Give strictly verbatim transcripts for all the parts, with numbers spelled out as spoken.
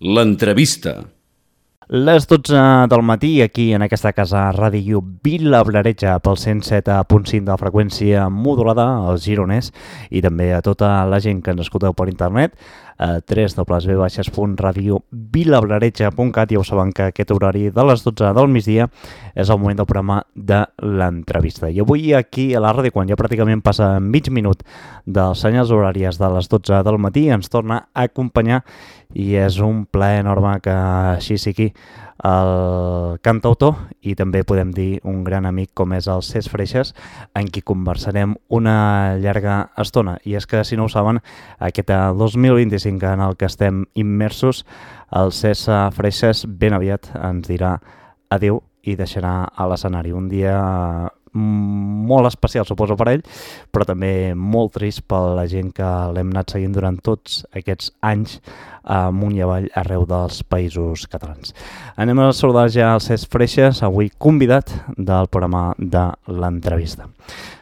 L'entrevista. Les dotze del matí, aquí en aquesta casa Ràdio Vilablareix pel cent set punt cinc de freqüència modulada, als gironers, i també a tota la gent que ens escolteu per internet, a w w w punt radio vilablareix punt cat. Ja ho saben que aquest horari de les dotze del migdia és el moment del programa de l'entrevista. I avui aquí a la ràdio, quan ja pràcticament passa mig minut dels senyals horàries de les dotze del matí, ens torna a acompanyar i és un plaer enorme que així sigui el cantautor i també podem dir un gran amic com és el Cesc Freixas, en qui conversarem una llarga estona. I és que, si no ho saben, aquest dos mil vint-i-cinc en el que estem immersos, el Cesc Freixas ben aviat ens dirà adéu i deixarà a l'escenari. Un dia molt especial, suposo, per ell, però també molt trist per la gent que l'hem anat seguint durant tots aquests anys amunt i avall arreu dels països catalans. Anem a saludar ja el Cesc Freixas, avui convidat del programa de l'entrevista.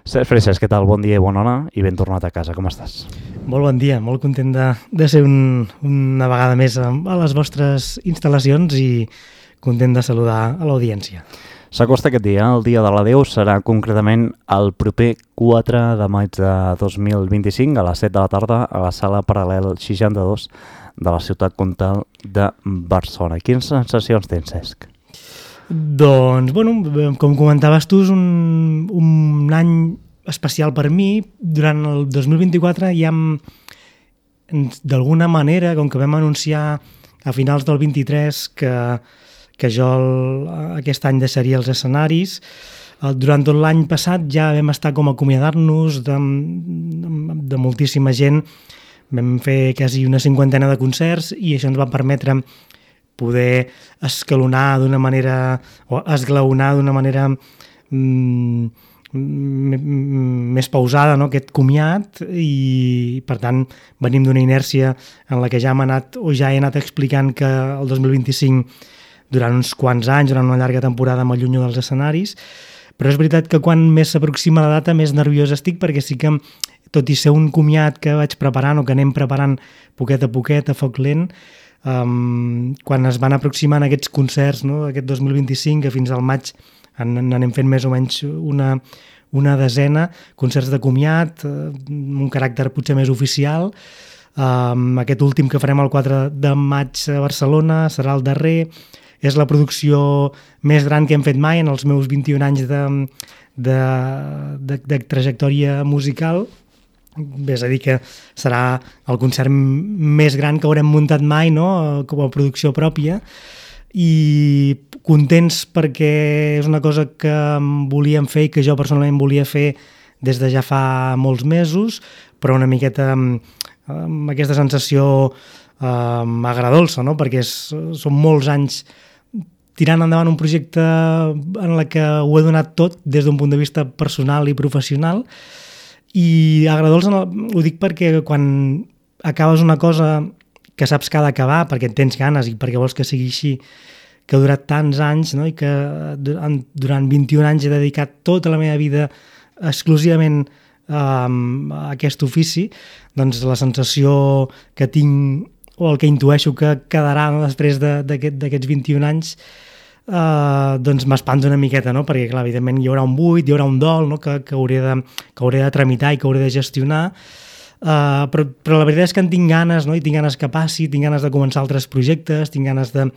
Cesc Freixas, què tal? Bon dia i bona hora i ben tornat a casa. Com estàs? Molt bon dia, molt content de, de ser un, una vegada més a, a les vostres instal·lacions i content de saludar a l'audiència. S'acosta aquest dia, el dia de l'adéu serà concretament el proper quatre de maig de dos mil vint-i-cinc a les set de la tarda a la sala Paral·lel seixanta-dos de la ciutat comtal de Barcelona. Quines sensacions tens, Cesc? Doncs, bueno, com comentaves tu, és un, un any especial per mi. Durant el dos mil vint-i-quatre ja hem, d'alguna manera, com que vam anunciar a finals del vint-i-tres que que jo el, aquest any deixaria els escenaris. Durant tot l'any passat ja vam estar com a acomiadar-nos de, de, de moltíssima gent. Vam fer quasi una cinquantena de concerts i això ens va permetre poder escalonar d'una manera, o esglaonar d'una manera mm, més pausada, no? Aquest comiat, i per tant venim d'una inèrcia en la que ja hem anat, o ja he anat explicant que el dos mil vint-i-cinc durant uns quants anys, durant una llarga temporada m'allunyo dels escenaris, però és veritat que quan més s'aproxima la data més nerviós estic, perquè sí que, tot i ser un comiat que vaig preparant o que anem preparant poquet a poquet, a foc lent, um, quan es van aproximant aquests concerts, no, aquest dos mil vint-i-cinc, que fins al maig n'anem fent més o menys una, una desena, concerts de comiat, un caràcter potser més oficial. Um, aquest últim que farem el quatre de maig a Barcelona serà el darrer. És la producció més gran que hem fet mai en els meus vint-i-un anys de, de, de, de trajectòria musical. És a dir, que serà el concert més gran que haurem muntat mai, no?, com a producció pròpia. I contents perquè és una cosa que volíem fer i que jo personalment volia fer des de ja fa molts mesos, però una miqueta amb aquesta sensació um, agradolça, no?, perquè és, són molts anys tirant endavant un projecte en la que ho he donat tot des d'un punt de vista personal i professional, i agradolç ho dic perquè quan acabes una cosa que saps que ha d'acabar perquè en tens ganes i perquè vols que sigui així, que ha durat tants anys, no? I que durant vint-i-un anys he dedicat tota la meva vida exclusivament um, a aquest ofici, doncs la sensació que tinc, o el que intueixo que quedarà, no?, després d'aquest, d'aquests vint-i-un anys, eh, doncs m'espanta una miqueta, no?, perquè clar, evidentment hi haurà un buit, hi haurà un dol, no?, que, que, hauré de, que hauré de tramitar i que hauré de gestionar, eh, però, però la veritat és que en tinc ganes, no?, i tinc ganes que passi, tinc ganes de començar altres projectes, tinc ganes de,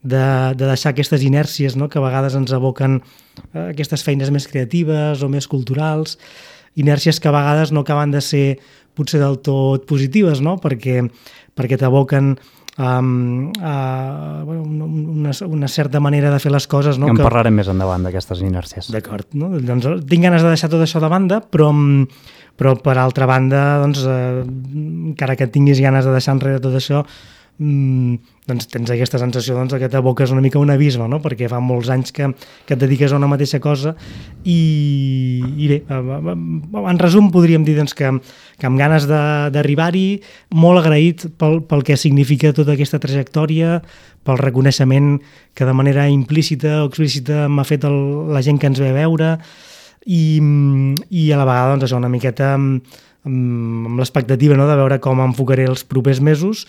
de, de deixar aquestes inèrcies, no?, que a vegades ens aboquen eh, aquestes feines més creatives o més culturals, inèrcies que a vegades no acaben de ser potser del tot positives, no?, perquè perquè t'aboquen um, a una, una certa manera de fer les coses. No? En que... parlarem més endavant d'aquestes inèrcies. D'acord. No? Doncs tinc ganes de deixar tot això de banda, però, però per altra banda, doncs, eh, encara que tinguis ganes de deixar enrere tot això, doncs tens aquesta sensació doncs, que t'aboques una mica un abisme, no? Perquè fa molts anys que, que et dediques a una mateixa cosa i, i bé, en resum podríem dir doncs, que, que amb ganes d'arribar-hi, molt agraït pel, pel que significa tota aquesta trajectòria, pel reconeixement que de manera implícita o explícita m'ha fet el, la gent que ens ve a veure i, i a la vegada doncs, això, una miqueta amb, amb l'expectativa, no?, de veure com enfocaré els propers mesos,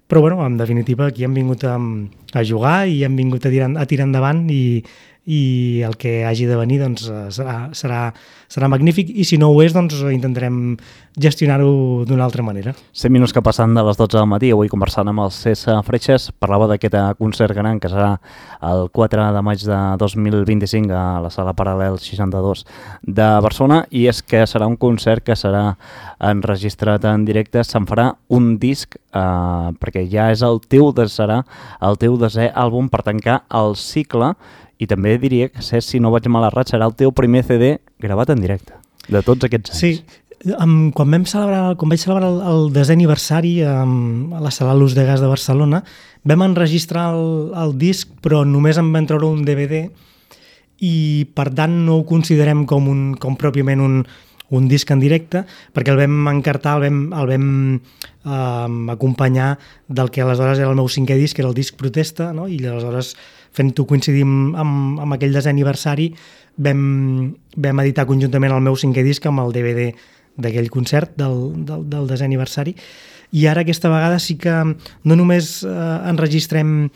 però bueno, en definitiva aquí hem vingut a, a jugar i hem vingut a tirar, a tirar endavant i, i el que hagi de venir doncs, serà, serà, serà magnífic i si no ho és doncs intentarem gestionar-ho d'una altra manera. cent minuts que passen de les dotze del matí, avui conversant amb el César Freixas, parlava d'aquest concert gran que serà el quatre de maig de dos mil vint-i-cinc a la Sala Paral·lel seixanta-dos de Barcelona, i és que serà un concert que serà enregistrat en directe, se'n farà un disc eh, perquè ja és el teu, serà el teu desè àlbum per tancar el cicle. I també diria que, si no vaig mal errat, serà el teu primer C D gravat en directe, de tots aquests anys. Sí, um, quan, vam celebrar, quan vaig celebrar el, el desè aniversari um, a la Sala Luz de Gas de Barcelona, vam enregistrar el, el disc, però només en vam treure un D V D i per tant no ho considerem com, un, com pròpiament un, un disc en directe, perquè el vam encartar, el vam, el vam um, acompanyar del que aleshores era el meu cinquè disc, que era el disc Protesta, no? I aleshores fent-ho coincidir amb, amb aquell desè aniversari, vam, vam editar conjuntament el meu cinquè disc amb el D V D d'aquell concert del, del, del desè aniversari. I ara aquesta vegada sí que no només eh, enregistrem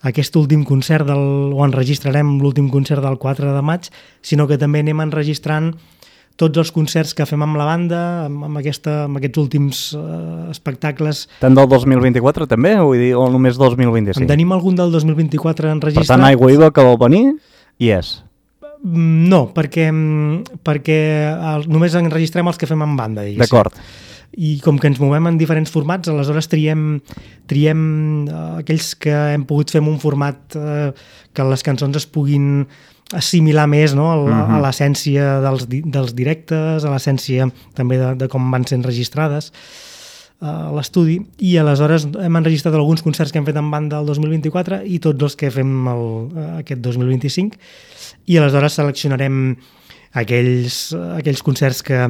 aquest últim concert del, o enregistrarem l'últim concert del quatre de maig, sinó que també anem enregistrant tots els concerts que fem amb la banda, amb, amb, aquesta, amb aquests últims uh, espectacles. Tant del dos mil vint-i-quatre també, vull dir, o només dos mil vint-i-cinc? En tenim algun del dos mil vint-i-quatre enregistrat. Per tant, Aigua Viva, que vol venir, hi és. No, perquè, perquè el, només enregistrem els que fem amb banda, diguéssim. D'acord. I com que ens movem en diferents formats, aleshores triem, triem uh, aquells que hem pogut fer en un format uh, que les cançons es puguin assimilar més, no? a, uh-huh. a l'essència dels, dels directes, a l'essència també de, de com van ser enregistrades a l'estudi, i aleshores hem enregistrat alguns concerts que hem fet en banda el dos mil vint-i-quatre i tots els que fem el, aquest dos mil vint-i-cinc, i aleshores seleccionarem aquells, aquells concerts que,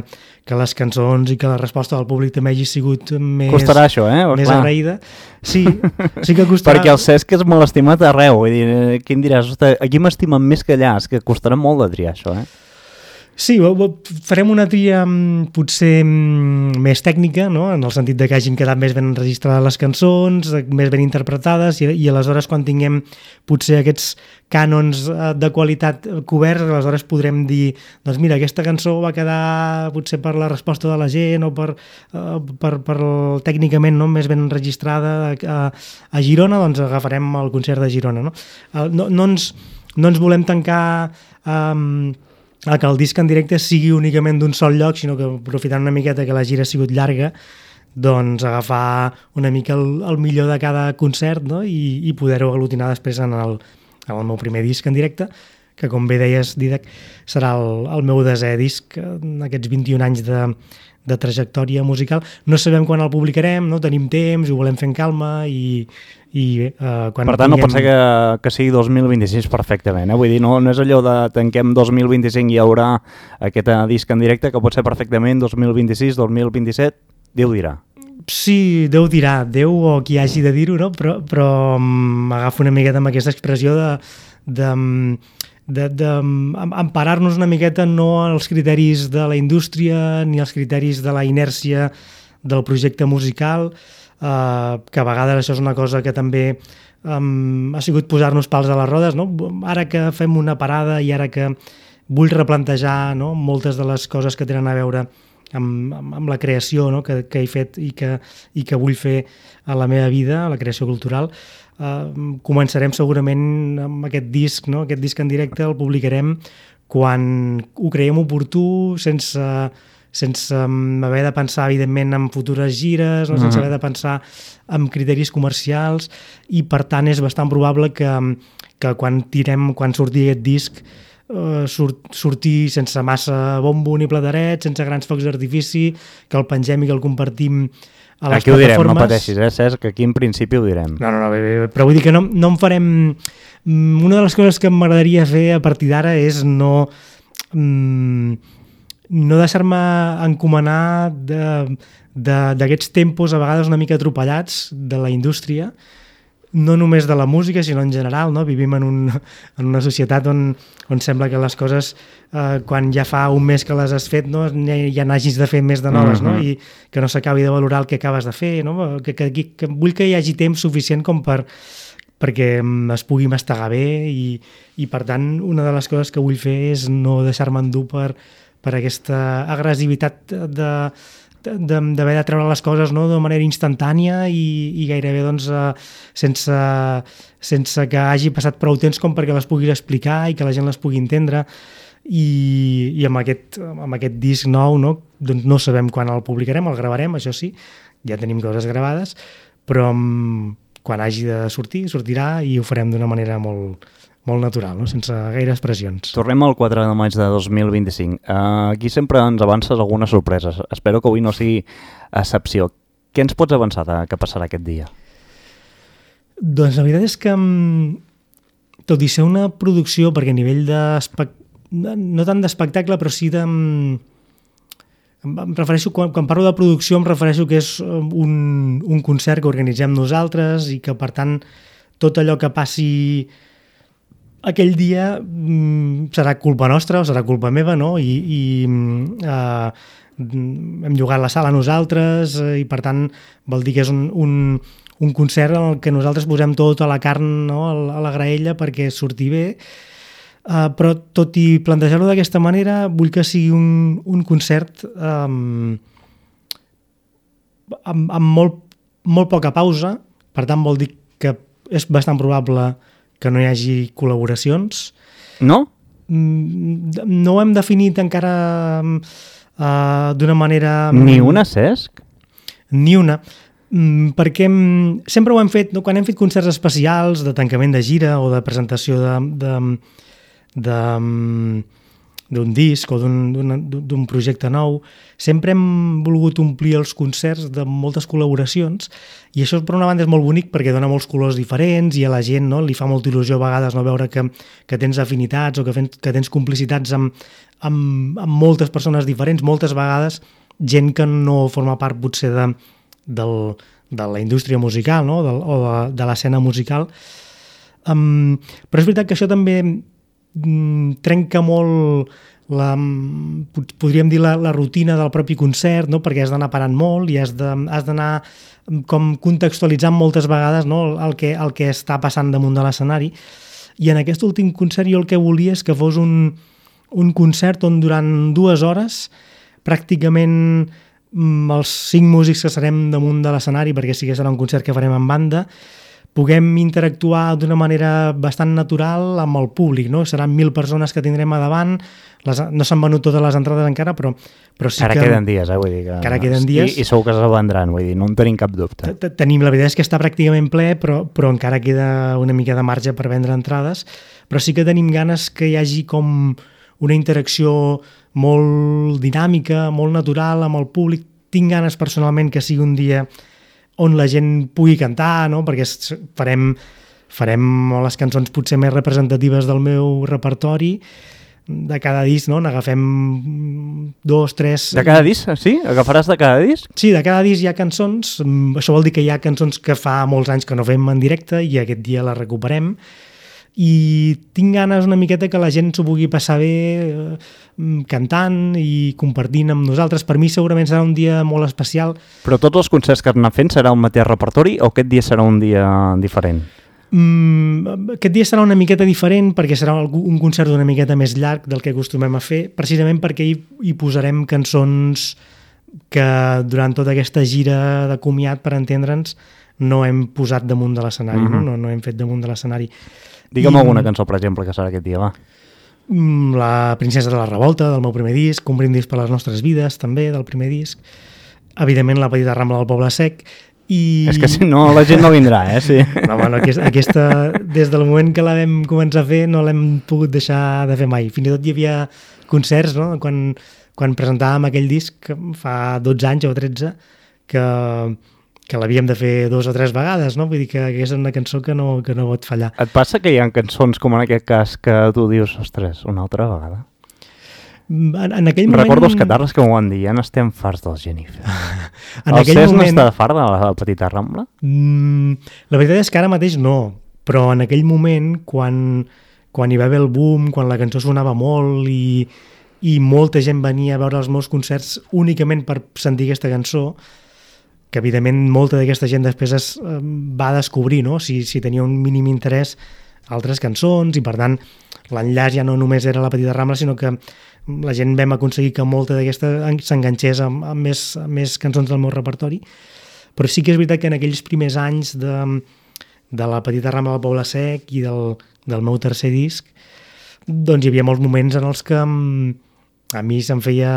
que les cançons i que la resposta del públic també hagi sigut més, costarà això, eh? més clar. agraïda. Sí, sí que costarà. Perquè el Cesc és molt estimat arreu. Vull dir, qui em diràs, aquí m'estimen més que allà, és que costarà molt de triar això, eh? Sí, farem una tria potser més tècnica, no? En el sentit de que hagin quedat més ben enregistrades les cançons, més ben interpretades, i, i aleshores quan tinguem potser aquests cànons de qualitat coberts, aleshores podrem dir, doncs mira, aquesta cançó va quedar potser per la resposta de la gent o per, uh, per, per tècnicament no? més ben enregistrada a, a Girona, doncs agafarem el concert de Girona. No, no, no, ens, no ens volem tancar um, a que el disc en directe sigui únicament d'un sol lloc, sinó que aprofitant una miqueta que la gira ha sigut llarga, doncs agafar una mica el, el millor de cada concert, no? I, i poder-ho aglutinar després en el, en el meu primer disc en directe, que com bé deies, Didac, serà el, el meu desè disc en aquests vint-i-un anys de, de trajectòria musical. No sabem quan el publicarem, no tenim temps, ho volem fer en calma i... I, uh, quan per tant, tinguem... no pot ser que, que sigui dos mil vint-i-sis perfectament, eh? Vull dir, no, no és allò de tanquem dos mil vint-i-cinc i hi haurà aquest disc en directe, que pot ser perfectament dos mil vint-i-sis, dos mil vint-i-set, Déu dirà. Sí, Déu dirà, Déu o qui hagi de dir-ho, no? Però, però um, agafo una miqueta amb aquesta expressió de, de, de, de emparar-nos una miqueta no als criteris de la indústria ni als criteris de la inèrcia del projecte musical, Uh, que a vegades això és una cosa que també um, ha sigut posar-nos pals a les rodes, no? Ara que fem una parada i ara que vull replantejar, no? moltes de les coses que tenen a veure amb, amb, amb la creació, no? que, que he fet i que, i que vull fer a la meva vida, a la creació cultural, uh, començarem segurament amb aquest disc, no? aquest disc en directe el publicarem quan ho creiem oportú, sense... sense haver de pensar, evidentment, en futures gires, no? sense haver de pensar en criteris comercials, i per tant és bastant probable que, que quan tirem, quan surti aquest disc, eh, surt, surti sense massa bombo ni plateret, sense grans focs d'artifici, que el pengem i que el compartim a les aquí plataformes. Aquí ho direm, no pateixis, eh, Cesc, que aquí en principi ho direm. No, no, no, bé, bé, però vull dir que no, no en farem... Una de les coses que m'agradaria fer a partir d'ara és no... Mm, no deixar-me encomanar d'aquests tempos a vegades una mica atropellats de la indústria, no només de la música, sinó en general, no? Vivim en, un, en una societat on, on sembla que les coses, eh, quan ja fa un mes que les has fet, no? ja n'hagis de fer més de noves, mm-hmm. no? I que no s'acabi de valorar el que acabes de fer, no? Que, que, que vull que hi hagi temps suficient com per perquè es pugui mastegar bé i, i per tant una de les coses que vull fer és no deixar-me endur per, per aquesta agressivitat de d'haver de treure les coses, no? De manera instantània i, i gairebé doncs, uh, sense, sense que hagi passat prou temps com perquè les puguis explicar i que la gent les pugui entendre i, i amb, aquest, amb aquest disc nou, no? Doncs no sabem quan el publicarem, el gravarem, això sí, ja tenim coses gravades, però um, quan hagi de sortir, sortirà i ho farem d'una manera molt, molt natural, no? Sense gaires pressions. Tornem al quatre de maig de dos mil vint-i-cinc. Uh, aquí sempre ens avances algunes sorpreses. Espero que avui no sigui excepció. Què ens pots avançar de què passarà aquest dia? Doncs la veritat és que, tot i ser una producció, perquè a nivell de... no tant d'espectacle, però sí de... Em refereixo, quan, quan parlo de producció em refereixo que és un, un concert que organitzem nosaltres i que per tant tot allò que passi aquell dia mm, serà culpa nostra o serà culpa meva, no? I, i eh, hem llogat la sala nosaltres eh, i per tant vol dir que és un, un, un concert en el que nosaltres posem tota la carn, no? a la graella perquè surti bé. Uh, però tot i plantejar-ho d'aquesta manera vull que sigui un, un concert um, amb, amb molt, molt poca pausa, per tant vol dir que és bastant probable que no hi hagi col·laboracions. No? No ho hem definit encara uh, d'una manera... Ni una, Cesc? Ni una, perquè sempre ho hem fet, no? Quan hem fet concerts especials de tancament de gira o de presentació de... de d'un disc o d'un projecte nou, sempre hem volgut omplir els concerts de moltes col·laboracions i això per una banda és molt bonic perquè dona molts colors diferents i a la gent, no, li fa molta il·lusió a vegades no, veure que, que tens afinitats o que, fen, que tens complicitats amb, amb, amb moltes persones diferents, moltes vegades gent que no forma part potser de, del, de la indústria musical, no, del, o de, de l'escena musical. Um, però és veritat que això també trenca molt la, podríem dir la, la rutina del propi concert, no? Perquè has d'anar parant molt i has d'anar com contextualitzant moltes vegades, no? el, que, el que està passant damunt de l'escenari i en aquest últim concert jo el que volia és que fos un, un concert on durant dues hores pràcticament els cinc músics que serem damunt de l'escenari, perquè sí que serà un concert que farem en banda, puguem interactuar d'una manera bastant natural amb el públic, no? Seran mil persones que tindrem a davant, les, no s'han venut totes les entrades encara, però, però sí cara que... queden dies, eh? Vull dir que... Cara queden dies. I, i segur que se vendran, vull dir, no en tenim cap dubte. Tenim, la veritat és que està pràcticament ple, però, però encara queda una mica de marge per vendre entrades, però sí que tenim ganes que hi hagi com una interacció molt dinàmica, molt natural amb el públic. Tinc ganes personalment que sigui un dia on la gent pugui cantar, no? Perquè farem, farem les cançons potser més representatives del meu repertori de cada disc, no? N'agafem dos, tres... De cada disc, sí? Agafaràs de cada disc? Sí, de cada disc hi ha cançons. Això vol dir que hi ha cançons que fa molts anys que no fem en directe i aquest dia les recuperem. I tinc ganes una miqueta que la gent s'ho pugui passar bé eh, cantant i compartint amb nosaltres. Per mi segurament serà un dia molt especial. Però tots els concerts que has anat fent serà el mateix repertori o aquest dia serà un dia diferent? Mm, aquest dia serà una miqueta diferent perquè serà un concert d'una miqueta més llarg del que acostumem a fer, precisament perquè hi, hi posarem cançons que durant tota aquesta gira de comiat, per entendre'ns, no hem posat damunt de l'escenari, mm-hmm. no? No, no hem fet damunt de l'escenari. Digue'm I, alguna cançó, per exemple, que serà aquest dia, va. La Princesa de la Revolta, del meu primer disc, Un brindis per les nostres vides, també, del primer disc. Evidentment, La petita Rambla del Poble Sec. I... És que si no, la gent no vindrà, eh? Sí. No, bueno, aquesta, aquesta, des del moment que la vam començar a fer, no l'hem pogut deixar de fer mai. Fins i tot hi havia concerts, no?, quan, quan presentàvem aquell disc, fa dotze anys o tretze, que... que l'havíem de fer dos o tres vegades, no? Vull dir que és una cançó que no, que no pot fallar. Et passa que hi ha cançons, com en aquest cas, que tu dius, ostres, una altra vegada? En, en aquell moment... Recordo els catarres que m'ho van dir, ja n'estem farts dels Jennifer. En el aquell Cesc moment... no està fart de la Petita Rambla? Mm, la veritat és que ara mateix no, però en aquell moment, quan, quan hi va haver el boom, quan la cançó sonava molt i, i molta gent venia a veure els meus concerts únicament per sentir aquesta cançó, que evidentment molta d'aquesta gent després es eh, va descobrir, no? si, si tenia un mínim interès altres cançons, i per tant l'enllaç ja no només era la Petita Rambla, sinó que la gent vam aconseguir que molta d'aquesta s'enganxés amb, amb, més, amb més cançons del meu repertori. Però sí que és veritat que en aquells primers anys de, de la Petita Rambla del Poble Sec i del, del meu tercer disc, doncs hi havia molts moments en els que a mi se'm feia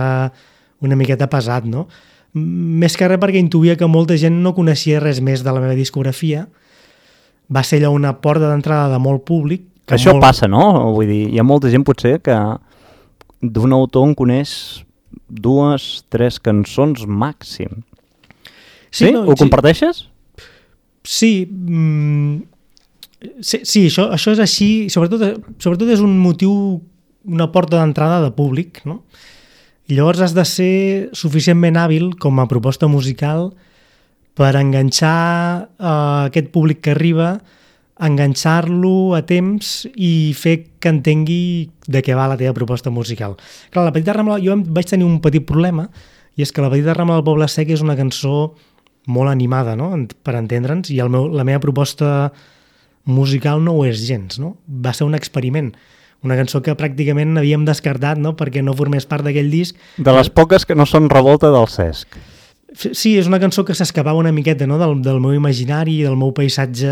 una miqueta pesat, no? Més que res perquè intuïa que molta gent no coneixia res més de la meva discografia. Va ser allò una porta d'entrada de molt públic. Que Això molt... passa, no? Vull dir, hi ha molta gent potser que d'un autor en coneix dues, tres cançons màxim. Sí? sí? No, Ho sí. comparteixes? Sí. Mm, sí, sí això, això és així. Sobretot, sobretot és un motiu, una porta d'entrada de públic, no? I llavors has de ser suficientment hàbil com a proposta musical per enganxar uh, aquest públic que arriba, enganxar-lo a temps i fer que entengui de què va la teva proposta musical. Clar, la Petita Rambla, jo vaig tenir un petit problema, i és que la Petita Rambla del Poble Sec és una cançó molt animada, no? Per entendre'ns, i el meu, la meva proposta musical no ho és gens, no? Va ser un experiment. Una cançó que pràcticament havíem descartat, no?, perquè no formés part d'aquell disc. De les poques que no són revolta del Cesc. Sí, és una cançó que s'escapava una miqueta, no?, del, del meu imaginari, del meu paisatge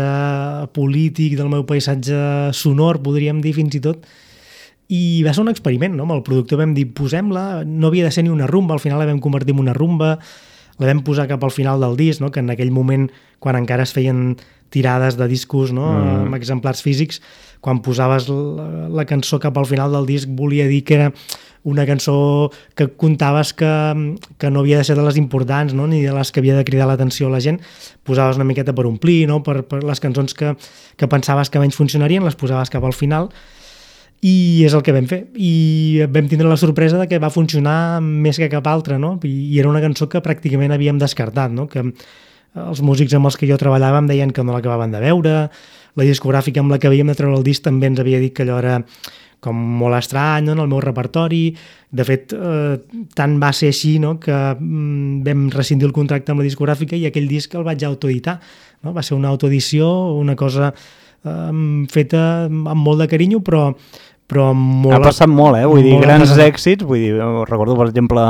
polític, del meu paisatge sonor, podríem dir fins i tot. I va ser un experiment, no? Amb el productor vam dir, posem-la, no havia de ser ni una rumba, al final la vam convertir en una rumba, la vam posar cap al final del disc, no?, que en aquell moment, quan encara es feien tirades de discos, no?, mm. amb exemplars físics, quan posaves la, la cançó cap al final del disc volia dir que era una cançó que contaves que, que no havia de ser de les importants, no?, ni de les que havia de cridar l'atenció a la gent, posaves una miqueta per omplir, no?, per, per les cançons que, que pensaves que menys funcionarien, les posaves cap al final, i és el que vam fer. I vam tindre la sorpresa de que va funcionar més que cap altra, no?, i, i era una cançó que pràcticament havíem descartat, no?, que els músics amb els que jo treballava em deien que no l'acabaven de veure, la discogràfica amb la que havíem de treure el disc també ens havia dit que allò era com molt estrany, no?, en el meu repertori. De fet, eh, tant va ser així, no?, que mm, vam rescindir el contracte amb la discogràfica i aquell disc el vaig autoeditar, no? Va ser una autoedició, una cosa eh, feta amb molt de carinyo, però però molt... Ha passat molt, eh? Vull dir, grans èxits, vull dir, recordo, per exemple,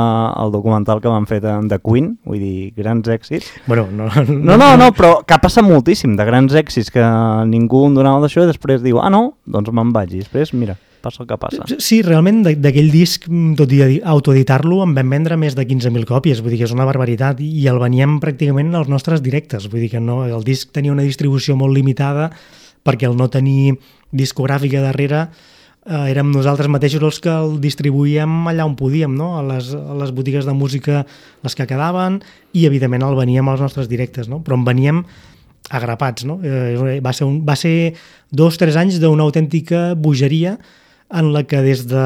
el documental que van fer de, de Queen, vull dir, grans èxits. Bueno, no... No, no, no, però que ha passat moltíssim de grans èxits que ningú em donava d'això i després diu, ah, no, doncs me'n vaig, i després, mira, passa el que passa. Sí, realment, d'aquell disc, tot i autoeditar-lo, en vam vendre més de quinze mil còpies, vull dir que és una barbaritat, i el veníem pràcticament als nostres directes, vull dir que no, el disc tenia una distribució molt limitada, perquè el no tenir discogràfica darrere eh, érem nosaltres mateixos els que el distribuïem allà on podíem, no? a, les, a les botigues de música les que quedaven, i evidentment el veníem als nostres directes, no? Però en veníem agrapats, no? Eh, va ser, un, va ser dos o tres anys d'una autèntica bogeria en la que des de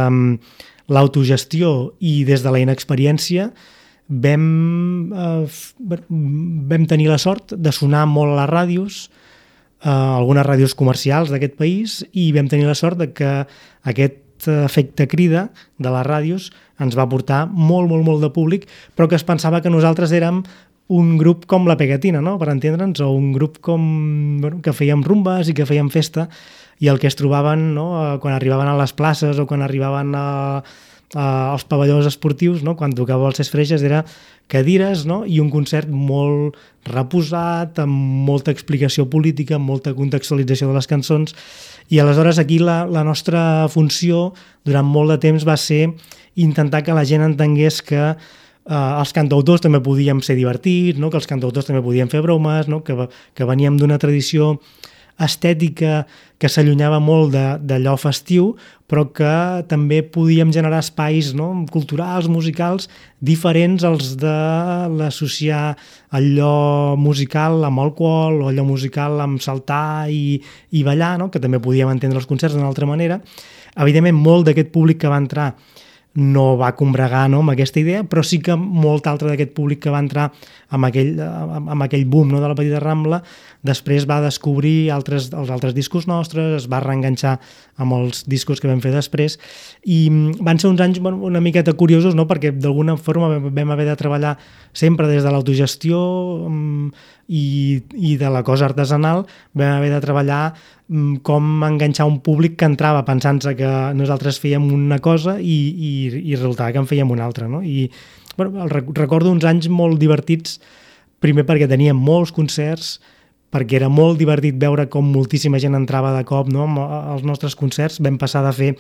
l'autogestió i des de la inexperiència vam, eh, vam tenir la sort de sonar molt a les ràdios, eh, algunes ràdios comercials d'aquest país, i vam tenir la sort de que aquest efecte crida de les ràdios ens va portar molt, molt, molt de públic, però que es pensava que nosaltres érem un grup com la Pegatina, no? Per entendre'ns, o un grup com, bueno, que fèiem rumbes i que fèiem festa, i el que es trobaven, no? Quan arribaven a les places o quan arribaven a, a, als pavellons esportius, no? Quan tocava els Ses Freixes, era cadires, no? I un concert molt reposat, amb molta explicació política, amb molta contextualització de les cançons, i aleshores aquí la, la nostra funció durant molt de temps va ser intentar que la gent entengués que Uh, els cantautors també podíem ser divertits, no? Que els cantautors també podien fer bromes, no? que, que veníem d'una tradició estètica que s'allunyava molt d'allò festiu, però que també podíem generar espais, no? culturals, musicals, diferents als de l'associar allò musical amb alcohol o allò musical amb saltar i, i ballar, no? Que també podíem entendre els concerts d'una altra manera. Evidentment, molt d'aquest públic que va entrar no va combregar, no, amb aquesta idea, però sí que molt altre d'aquest públic que va entrar amb aquell, amb aquell boom, no, de la Petita Rambla, després va descobrir altres, els altres discos nostres, es va reenganxar amb els discos que vam fer després, i van ser uns anys, bueno, una miqueta curiosos, no, perquè d'alguna forma vam haver de treballar sempre des de l'autogestió i, i de la cosa artesanal, vam haver de treballar com enganxar un públic que entrava pensant-se que nosaltres fèiem una cosa i, i, i resultava que en fèiem una altra, no? I bueno, recordo uns anys molt divertits, primer perquè teníem molts concerts, perquè era molt divertit veure com moltíssima gent entrava de cop, no, als nostres concerts. Vam passar de fer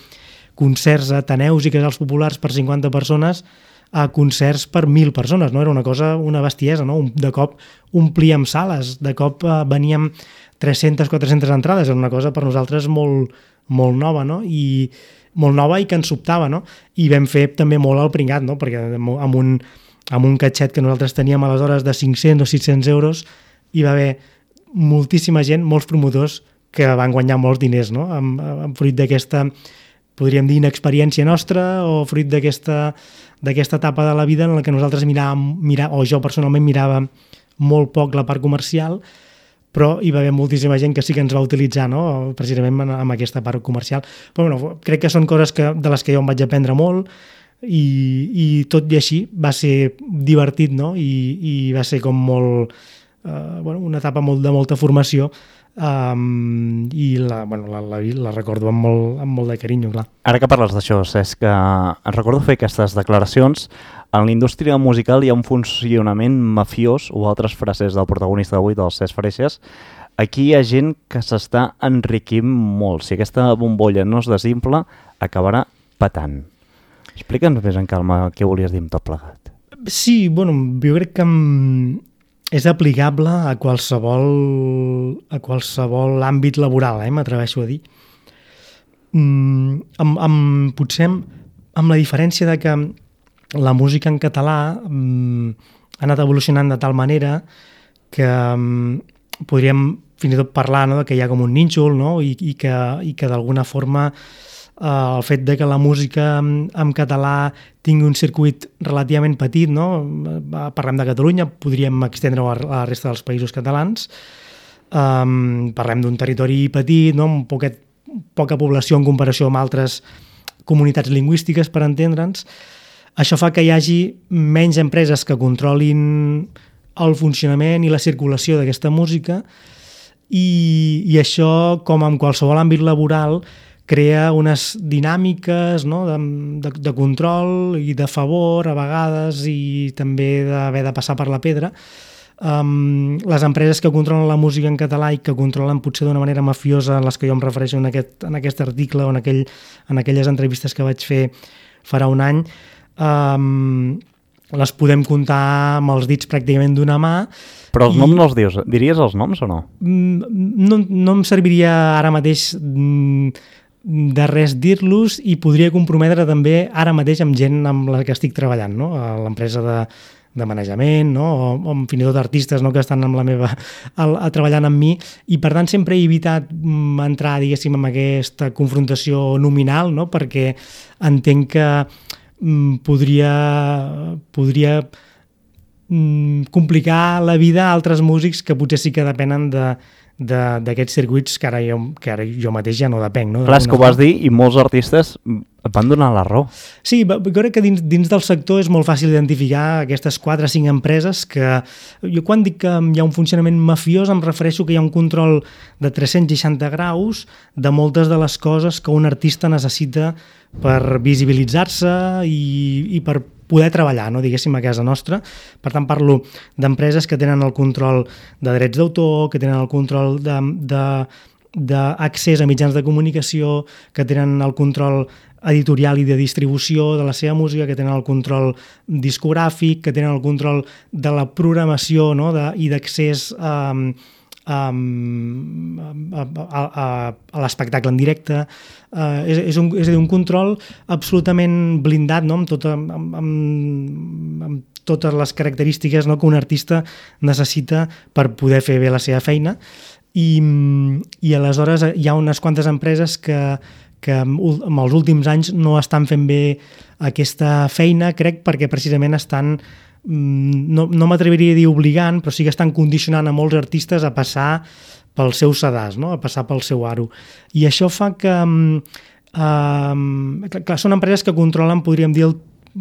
concerts a ateneus i casals populars per cinquanta persones a concerts per mil persones, no? Era una cosa, una bestiesa, no? De cop omplíem sales, de cop eh, veníem tres-centes, quatre-centes entrades, era una cosa per nosaltres molt, molt nova, no? I molt nova i que ens sobtava, no? I vam fer també molt al pringat, no? Perquè amb un, amb un catxet que nosaltres teníem aleshores de cinc-cents o sis-cents euros hi va haver moltíssima gent, molts promotors que van guanyar molts diners, no? Amb, amb fruit d'aquesta, podríem dir, inexperiència nostra o fruit d'aquesta d'aquesta etapa de la vida en la que nosaltres miràvem, mirà, o jo personalment mirava molt poc la part comercial, però hi va haver moltíssima gent que sí que ens va utilitzar, no? Precisament en, en aquesta part comercial. Però bueno, crec que són coses que, de les que jo em vaig aprendre molt i, i tot i així va ser divertit, no? I, i va ser com molt, eh, bueno, una etapa molt, de molta formació. Um, i la, bueno, la, la, la recordo amb molt, amb molt de carinyo, clar. Ara que parles d'això, és que em recordo fer aquestes declaracions. En la indústria musical hi ha un funcionament mafiós, o altres frases del protagonista d'avui, del Cesc Freixas. Aquí hi ha gent que s'està enriquint molt. Si aquesta bombolla no es desinfla, acabarà patant. Explica'ns més en calma què volies dir amb tot plegat. Sí, bueno, jo crec que és aplicable a qualsevol, a qualsevol àmbit laboral, eh, m'atreveixo a dir. Mm, amb, amb, potser amb, amb la diferència de que la música en català mm, ha anat evolucionant de tal manera que mm, podríem fins i tot parlar, no, de que hi ha com un nínxol, no, i, i que, i que d'alguna forma Uh, el fet de que la música en, en català tingui un circuit relativament petit, no? Parlem de Catalunya, podríem estendre-ho a la resta dels països catalans. Um, parlem d'un territori petit, no? Amb poquet, poca població en comparació amb altres comunitats lingüístiques, per entendre'ns. Això fa que hi hagi menys empreses que controlin el funcionament i la circulació d'aquesta música i, i això, com en qualsevol àmbit laboral, crea unes dinàmiques, no, de, de, de control i de favor a vegades i també d'haver de passar per la pedra. Um, les empreses que controlen la música en català i que controlen potser d'una manera mafiosa, les que jo em refereixo en aquest, en aquest article o en, aquell, en aquelles entrevistes que vaig fer farà un any, um, les podem comptar amb els dits pràcticament d'una mà. Però els i... noms no els dius. Diries els noms o no? No, no em serviria ara mateix de res dir-los i podria comprometre també ara mateix amb gent amb la que estic treballant, no? A l'empresa de, de manejament, no? o, o fins i tot artistes, no? Que estan amb la meva, a, a treballant amb mi, i per tant sempre he evitat entrar, diguéssim, en aquesta confrontació nominal, no? Perquè entenc que mm, podria, podria mm, complicar la vida a altres músics que potser sí que depenen de d'aquests circuits que ara, jo, que ara jo mateix ja no depenc. No? Clar, és que ho vas dir i molts artistes et van donar la raó. Sí, jo crec que dins, dins del sector és molt fàcil identificar aquestes quatre o cinc empreses que... Jo quan dic que hi ha un funcionament mafiós em refereixo que hi ha un control de tres-cents seixanta graus de moltes de les coses que un artista necessita per visibilitzar-se i, i per poder treballar, no, diguéssim, a casa nostra. Per tant, parlo d'empreses que tenen el control de drets d'autor, que tenen el control de, de, d'accés a mitjans de comunicació, que tenen el control editorial i de distribució de la seva música, que tenen el control discogràfic, que tenen el control de la programació, no, de, i d'accés a, a, a, a, a l'espectacle en directe. Uh, és, és, un, és a dir, un control absolutament blindat, no? amb, tota, amb, amb, amb totes les característiques, no? Que un artista necessita per poder fer bé la seva feina. I, i aleshores hi ha unes quantes empreses que, que en els últims anys no estan fent bé aquesta feina, crec, perquè precisament estan, no, no m'atreviria a dir obligant, però sí que estan condicionant a molts artistes a passar pel seu sedàs, no? A passar pel seu aro. I això fa que... Um, clar, són empreses que controlen, podríem dir, el,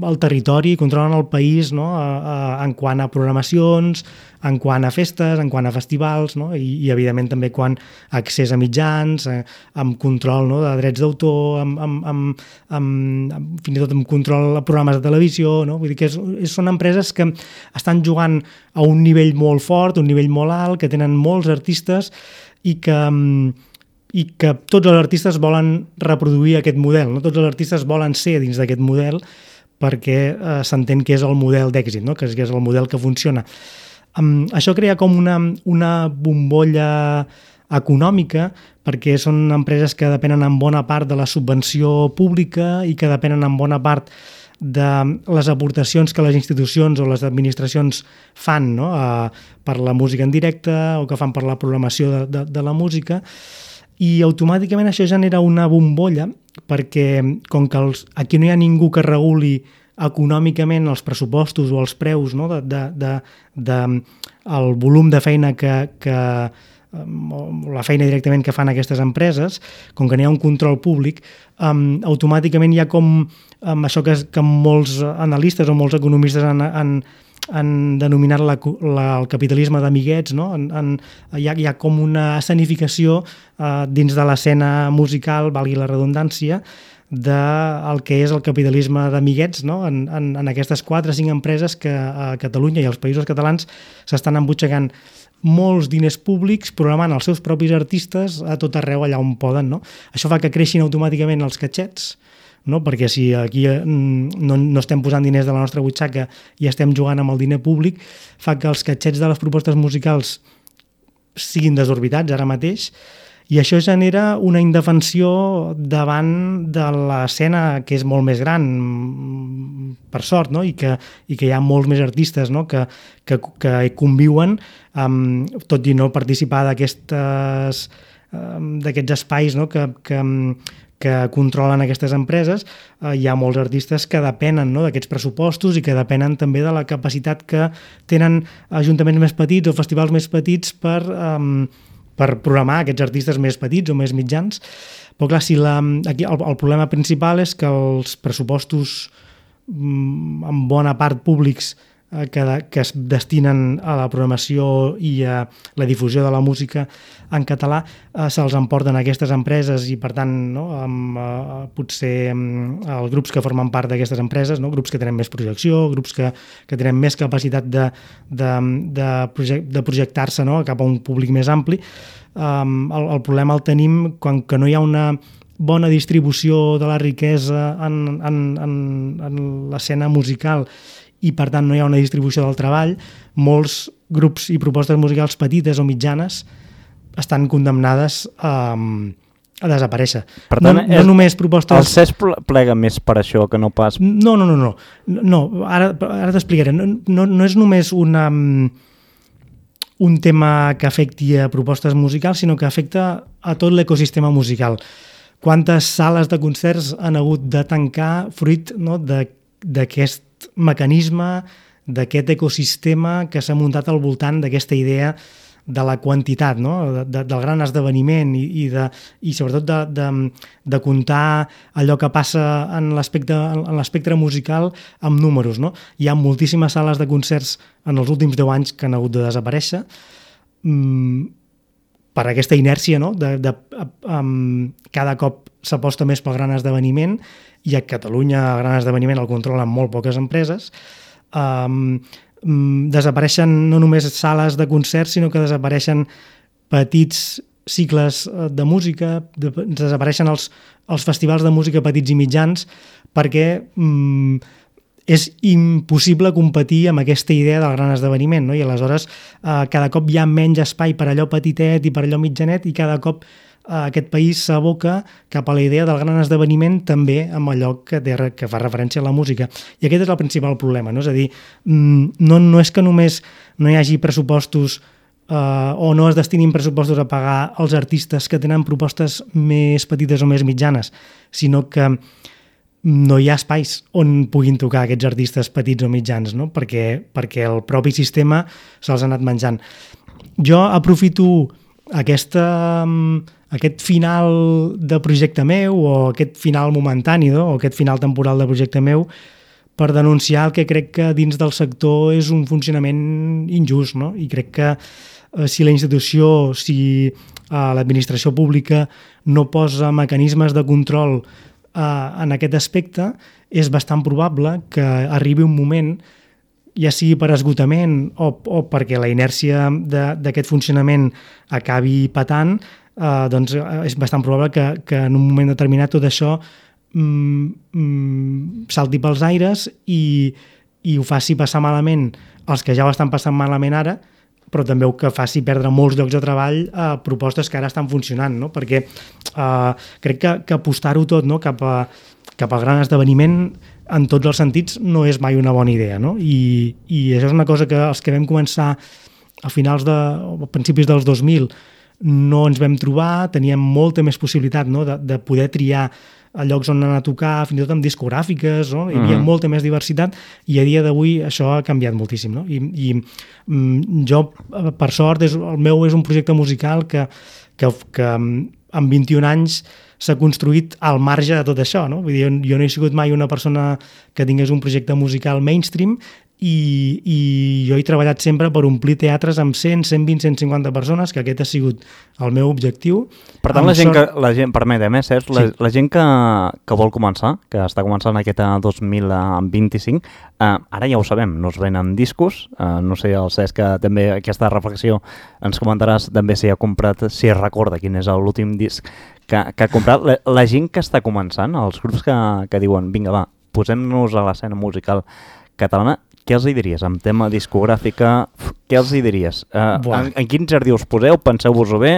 el territori, controlen el país, no? a, a, en quant a programacions, en quant a festes, en quant a festivals, no? I, i evidentment també quan a accés a mitjans, a, amb control, no? De drets d'autor, amb, amb, amb, amb, amb, fins i tot amb control a programes de televisió, no? Vull dir que és, és, són empreses que estan jugant a un nivell molt fort, un nivell molt alt, que tenen molts artistes i que... i que tots els artistes volen reproduir aquest model, no? Tots els artistes volen ser dins d'aquest model perquè eh, s'entén que és el model d'èxit, no? que, és, que és el model que funciona. Um, això crea com una, una bombolla econòmica perquè són empreses que depenen en bona part de la subvenció pública i que depenen en bona part de les aportacions que les institucions o les administracions fan, no? uh, per la música en directe o que fan per la programació de, de, de la música. I automàticament això genera una bombolla perquè com que els, aquí no hi ha ningú que reguli econòmicament els pressupostos o els preus, no? de, de, de, de, el volum de feina que, que la feina directament que fan aquestes empreses, com que n'hi ha un control públic, um, automàticament hi ha com um, això que, que molts analistes o molts economistes han, han han denominat la, la, el capitalisme d'amiguets, no? en, en, hi, ha, hi ha com una escenificació eh, dins de l'escena musical, valgui la redundància, del que és el capitalisme d'amiguets, no? en, en, en aquestes quatre o cinc empreses que a Catalunya i als països catalans s'estan embutxacant molts diners públics programant els seus propis artistes a tot arreu allà on poden. No? Això fa que creixin automàticament els catxets, no? Perquè si aquí no, no estem posant diners de la nostra butxaca i estem jugant amb el diner públic, fa que els catxets de les propostes musicals siguin desorbitats ara mateix i això genera una indefensió davant de l'escena que és molt més gran, per sort, no? I, que, i que hi ha molts més artistes, no? que, que, que conviuen, um, tot i no participar d'aquestes, um, d'aquests espais, no? que, que, que controlen aquestes empreses, eh, hi ha molts artistes que depenen, no? d'aquests pressupostos i que depenen també de la capacitat que tenen ajuntaments més petits o festivals més petits per, um, per programar aquests artistes més petits o més mitjans. Però clar, si la, aquí el, el problema principal és que els pressupostos um, en bona part públics eh, que, que es destinen a la programació i a la difusió de la música en català eh, se'ls emporten aquestes empreses i per tant no, amb, eh, potser amb els grups que formen part d'aquestes empreses, no, grups que tenen més projecció, grups que, que tenen més capacitat de, de, de, project, de projectar-se, no, cap a un públic més ampli. Um, el, el problema el tenim quan que no hi ha una bona distribució de la riquesa en, en, en, en l'escena musical i per tant no hi ha una distribució del treball, molts grups i propostes musicals petites o mitjanes estan condemnades a, a desaparèixer. Per tant, no, no és, només propostes... el C E S plega més per això que no pas... No, no, no, no. no ara ara t'explicaré. No, no, no és només una, un tema que afecti a propostes musicals, sinó que afecta a tot l'ecosistema musical. Quantes sales de concerts han hagut de tancar fruit, no, d'aquest mecanisme, d'aquest ecosistema que s'ha muntat al voltant d'aquesta idea de la quantitat, no? de, de, del gran esdeveniment i, i, de, i sobretot de, de, de comptar allò que passa en l'espectre musical amb números. No? Hi ha moltíssimes sales de concerts en els últims deu anys que han hagut de desaparèixer mm, per aquesta inèrcia, no? de, de, um, cada cop s'aposta més pel gran esdeveniment i a Catalunya el gran esdeveniment el controlen molt poques empreses. Um, desapareixen no només sales de concerts, sinó que desapareixen petits cicles de música, de, desapareixen els, els festivals de música petits i mitjans perquè mm, és impossible competir amb aquesta idea del gran esdeveniment, no? I aleshores eh, cada cop hi ha menys espai per allò petitet i per allò mitjanet i cada cop aquest país s'aboca cap a la idea del gran esdeveniment també amb allò que, té, que fa referència a la música. I aquest és el principal problema, no? És a dir, no, no és que només no hi hagi pressupostos uh, o no es destinin pressupostos a pagar els artistes que tenen propostes més petites o més mitjanes, sinó que no hi ha espais on puguin tocar aquests artistes petits o mitjans, no? perquè, perquè el propi sistema se'ls ha anat menjant. Jo aprofito aquesta, aquest final de projecte meu o aquest final momentani, no? o aquest final temporal de projecte meu per denunciar el que crec que dins del sector és un funcionament injust, no? I crec que eh, si la institució, si eh, l'administració pública no posa mecanismes de control en aquest aspecte, és bastant probable que arribi un moment, ja sigui per esgotament o, o perquè la inèrcia d'aquest funcionament acabi patant, eh, doncs és bastant probable que, que en un moment determinat tot això mm, mm, salti pels aires i, i ho faci passar malament els que ja ho estan passant malament ara, però també que faci perdre molts llocs de treball a propostes que ara estan funcionant, no? Perquè eh, crec que, que apostar-ho tot, no? cap, a, cap al gran esdeveniment en tots els sentits no és mai una bona idea, no? I, i això és una cosa que els que vam començar a finals de, a principis dels dos mil no ens vam trobar, teníem molta més possibilitat, no? de, de poder triar a llocs on anar a tocar, fins i tot amb discogràfiques, no? Hi havia uh-huh. molta més diversitat i a dia d'avui això ha canviat moltíssim, no? I, i mm, jo, per sort, és, el meu és un projecte musical que, que, que amb vint-i-un anys s'ha construït al marge de tot això, no? Vull dir, jo, jo no he sigut mai una persona que tingués un projecte musical mainstream i, i jo he treballat sempre per omplir teatres amb cent, cent vint, cent cinquanta persones, que aquest ha sigut el meu objectiu. Per tant, la gent, sort... que, la gent, permetem, eh, Cesc, la, sí. la gent que, que vol començar, que està començant aquest dos mil vint-i-cinc, eh, ara ja ho sabem, no es venen discos, eh, no sé, el Cesc, que també aquesta reflexió ens comentaràs també si ha comprat, si recorda quin és l'últim disc que, que ha comprat. La, la gent que està començant, els grups que, que diuen, vinga, va, posem-nos a l'escena musical catalana, què els hi diries? En tema discogràfica, què els hi diries? Uh, en, en quin jardí us poseu? Penseu-vos-ho bé?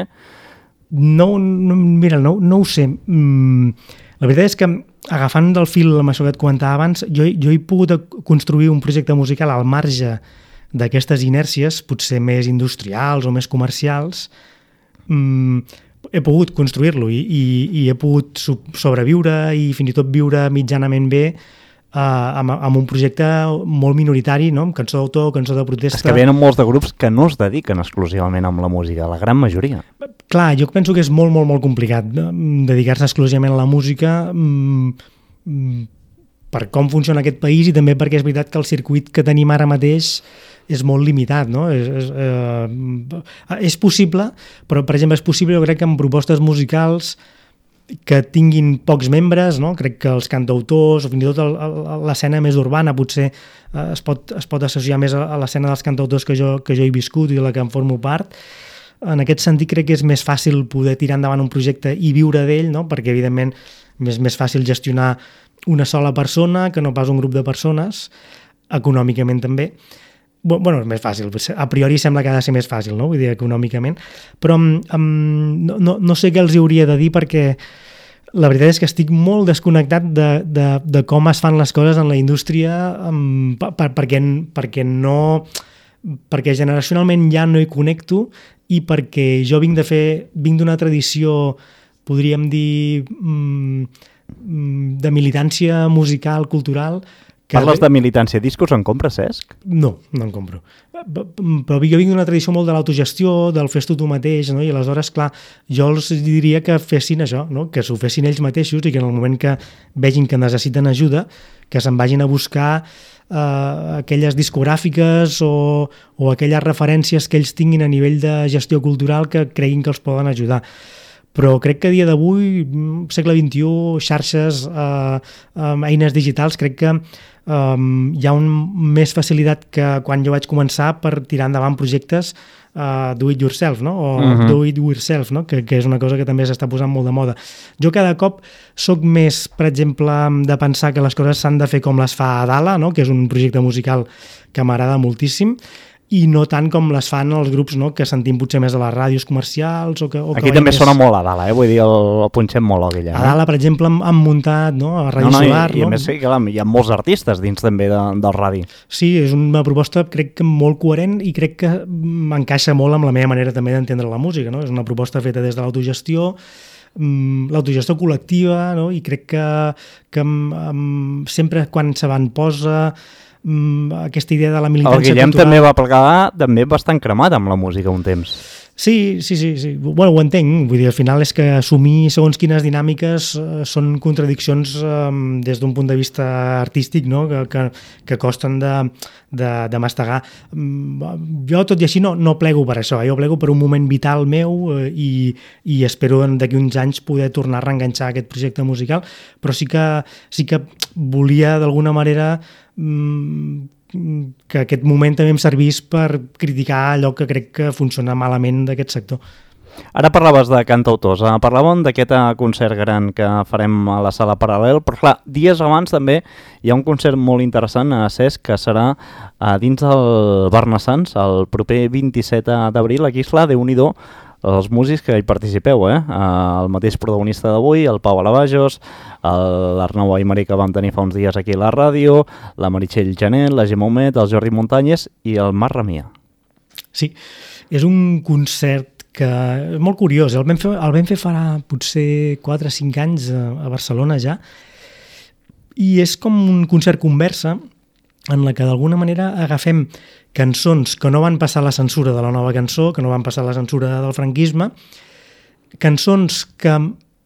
No, no, mira, no, no ho sé. Mm, la veritat és que, agafant del fil amb això que et comentava abans, jo, jo he pogut construir un projecte musical al marge d'aquestes inèrcies, potser més industrials o més comercials. Mm, he pogut construir-lo i, i, i he pogut sobreviure i fins i tot viure mitjanament bé Uh, amb, amb un projecte molt minoritari, no? Amb cançó d'autor, cançó de protesta. És que venen molts de grups que no es dediquen exclusivament amb la música, la gran majoria. Clar, jo penso que és molt, molt, molt complicat dedicar-se exclusivament a la música mm, per com funciona aquest país i també perquè és veritat que el circuit que tenim ara mateix és molt limitat, no? És, és, eh, és possible, però per exemple és possible, jo crec que amb propostes musicals que tinguin pocs membres, no? Crec que els cantautors o fins i tot el, el, l'escena més urbana potser eh, es, pot, es pot associar més a, a l'escena dels cantautors que jo, que jo he viscut i de la que en formo part. En aquest sentit crec que és més fàcil poder tirar endavant un projecte i viure d'ell, no? Perquè evidentment és més fàcil gestionar una sola persona que no pas un grup de persones, econòmicament també. Bueno, és més fàcil, a priori sembla que ha de ser més fàcil, no? Vull dir, econòmicament, però um, no, no, no sé què els hauria de dir perquè la veritat és que estic molt desconnectat de, de, de com es fan les coses en la indústria um, per, per, perquè, perquè no perquè generacionalment ja no hi connecto i perquè jo vinc de fer vinc d'una tradició, podríem dir um, de militància musical, cultural. Parles de militància. Discos en compres, Cesc? No, no en compro. Però jo vinc d'una tradició molt de l'autogestió, del fes-t'ho tu mateix, no? I aleshores, clar, jo els diria que fessin això, no? Que s'ho fessin ells mateixos i que en el moment que vegin que necessiten ajuda, que se'n vagin a buscar eh, aquelles discogràfiques o, o aquelles referències que ells tinguin a nivell de gestió cultural que creguin que els poden ajudar. Però crec que a dia d'avui, segle vint-i-u, xarxes, eh, eh, eines digitals, crec que eh, hi ha un, més facilitat que quan jo vaig començar per tirar endavant projectes uh, do it yourself, no? O uh-huh. do it yourself, no? Que, que és una cosa que també s'està posant molt de moda. Jo cada cop soc més, per exemple, de pensar que les coses s'han de fer com les fa Adala, no? Que és un projecte musical que m'agrada moltíssim, i no tant com les fan els grups, no?, que sentim potser més a les ràdios comercials o que, o que aquí també més... sona molt a dalt, eh? Vull dir, el, el punxem molt aquí allà. A dalt, per exemple, han, han muntat, no?, a Ràdio no, no, Solar. I, no? I a més sí, clar, hi ha molts artistes dins també de, del radi. Sí, és una proposta crec que molt coherent i crec que m'encaixa molt amb la meva manera també d'entendre la música, no? És una proposta feta des de l'autogestió, l'autogestió col·lectiva, no? I crec que, que um, sempre quan se van posa aquesta idea de la militància cultural... El Guillem cultural... també va plegar també bastant cremat amb la música un temps. Sí, sí, sí, sí. Bueno, ho entenc. Vull dir, al final és que assumir segons quines dinàmiques eh, són contradiccions eh, des d'un punt de vista artístic, no?, que, que, que costen de, de, de mastegar. Jo, tot i així, no, no plego per això. Jo plego per un moment vital meu eh, i, i espero d'aquí uns anys poder tornar a reenganxar aquest projecte musical, però sí que, sí que volia d'alguna manera mmm, que aquest moment també em servís per criticar allò que crec que funciona malament d'aquest sector. Ara parlaves de cantautors, parlàvem d'aquest concert gran que farem a la Sala Paral·lel, però clar, dies abans també hi ha un concert molt interessant a Cesc que serà a dins del Barnassans el proper vint-i-set d'abril. Aquí, esclar, Déu-n'hi-do, els músics que hi participeu, eh? El mateix protagonista d'avui, el Pau Alavajos, l'Arnau Aymari que vam tenir fa uns dies aquí a la ràdio, la Meritxell Janet, la Gemma Humet, el Jordi Muntanyes i el Marc Ramià. Sí, és un concert que és molt curiós. El vam fer, el vam fer farà potser quatre o cinc anys a, a Barcelona ja, i és com un concert conversa en la que d'alguna manera agafem cançons que no van passar la censura de la nova cançó, que no van passar la censura del franquisme, cançons que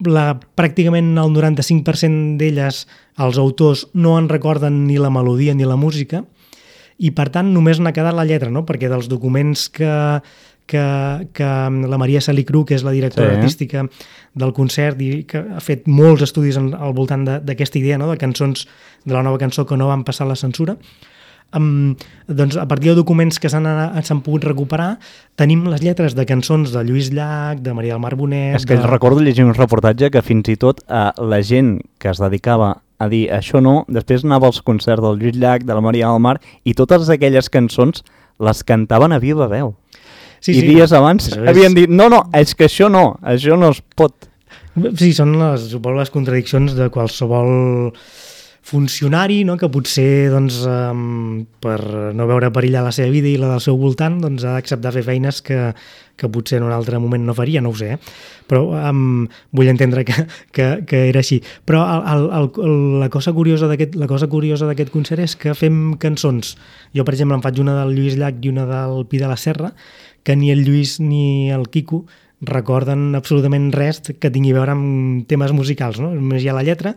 la, pràcticament el noranta-cinc per cent d'elles els autors no en recorden ni la melodia ni la música, i per tant només n'ha quedat la lletra, no? Perquè dels documents que, que, que la Maria Salicru, que és la directora sí. artística del concert i que ha fet molts estudis en, al voltant d'aquesta idea, no?, de cançons de la nova cançó que no van passar la censura, Um, doncs a partir de documents que s'han pogut recuperar tenim les lletres de cançons de Lluís Llach, de Maria del Mar Bonet... És que de... recordo llegir un reportatge que fins i tot eh, la gent que es dedicava a dir això no, després anava als concerts del Lluís Llach, de la Maria del Mar, i totes aquelles cançons les cantaven a viva veu. Sí, I sí. dies abans és... havien dit, no, no, és que això no, això no es pot. Sí, són les, suposo, les contradiccions de qualsevol funcionari, no?, que potser doncs, um, per no veure perillar la seva vida i la del seu voltant doncs, ha d'acceptar fer feines que, que potser en un altre moment no faria, no ho sé, eh? Però um, vull entendre que, que, que era així. Però el, el, el, la cosa curiosa d'aquest la cosa curiosa d'aquest concert és que fem cançons. Jo, per exemple, em faig una del Lluís Llach i una del Pi de la Serra, que ni el Lluís ni el Quico recorden absolutament res que tingui a veure amb temes musicals, no? Només hi ha la lletra.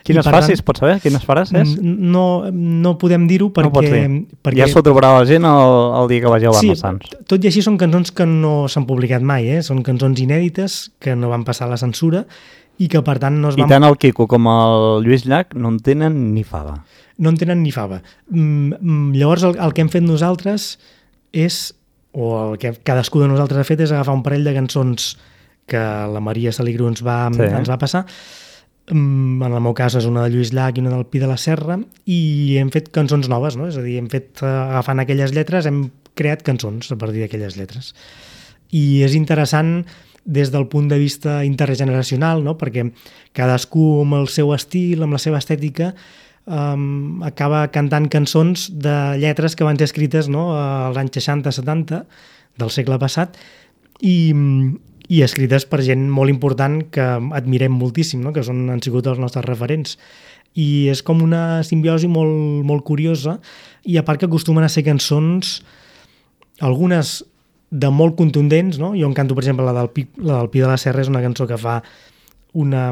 Quines facis, pots saber? Quines faràs? No, no podem dir-ho perquè, no perquè... Ja s'ho trobarà la gent el, el dia que vagi a Barnassans. Sí, tot i així són cançons que no s'han publicat mai, eh? Són cançons inèdites que no van passar la censura i que per tant no es van... I tant el Quico com el Lluís Llach no en tenen ni fava. No en tenen ni fava. Mm, llavors el, el que hem fet nosaltres és... o el que cadascú de nosaltres ha fet és agafar un parell de cançons que la Maria Salicru ens va, sí. ens va passar. En el meu cas és una de Lluís Llach i una del Pi de la Serra, i hem fet cançons noves, no? És a dir, hem fet, agafant aquelles lletres, hem creat cançons a partir d'aquelles lletres. I és interessant des del punt de vista intergeneracional, no? Perquè cadascú amb el seu estil, amb la seva estètica, Um, acaba cantant cançons de lletres que van ser escrites, no?, als anys seixanta setanta del segle passat i, i escrites per gent molt important que admirem moltíssim, no?, que són, han sigut els nostres referents. I és com una simbiosi molt, molt curiosa, i a part que acostumen a ser cançons, algunes de molt contundents, no? Jo en canto, per exemple, la del Pi, la del Pi de la Serra és una cançó que fa una...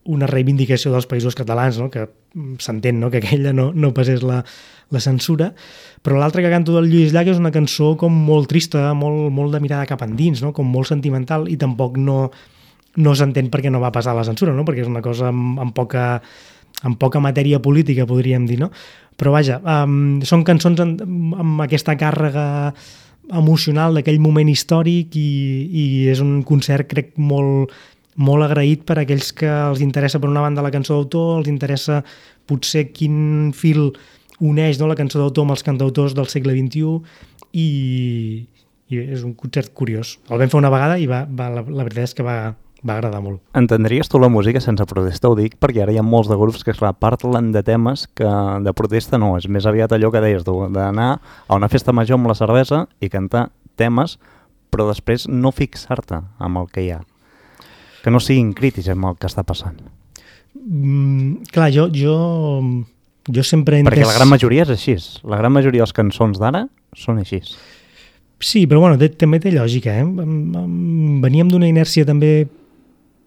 una reivindicació dels països catalans, no?, que s'entén, no?, que aquella no, no passés la, la censura, però l'altra que canto del Lluís Llach és una cançó com molt trista, molt, molt de mirada cap endins, no?, com molt sentimental, i tampoc no, no s'entén perquè no va passar la censura, no?, perquè és una cosa amb, amb, poca, amb poca matèria política, podríem dir, no? Però vaja, um, són cançons amb, amb aquesta càrrega emocional d'aquell moment històric, i, i és un concert, crec, molt... molt agraït per a aquells que els interessa per una banda la cançó d'autor, els interessa potser quin fil uneix, no?, la cançó d'autor amb els cantautors del segle vint-i-u, i, i és un concert curiós. El vam fer una vegada i va, va, la, la veritat és que va, va agradar molt. Entendries tu la música sense protesta? Ho dic perquè ara hi ha molts de grups que clar, parlen de temes que de protesta no, és més aviat allò que deies tu, d'anar a una festa major amb la cervesa i cantar temes, però després no fixar-te amb el que hi ha. Que no siguin crítics amb el que està passant. Mm, clar, jo, jo, jo sempre he entès... Perquè la gran majoria és així. La gran majoria de les cançons d'ara són així. Sí, però bueno, té, també té lògica. Eh? Veníem d'una inèrcia també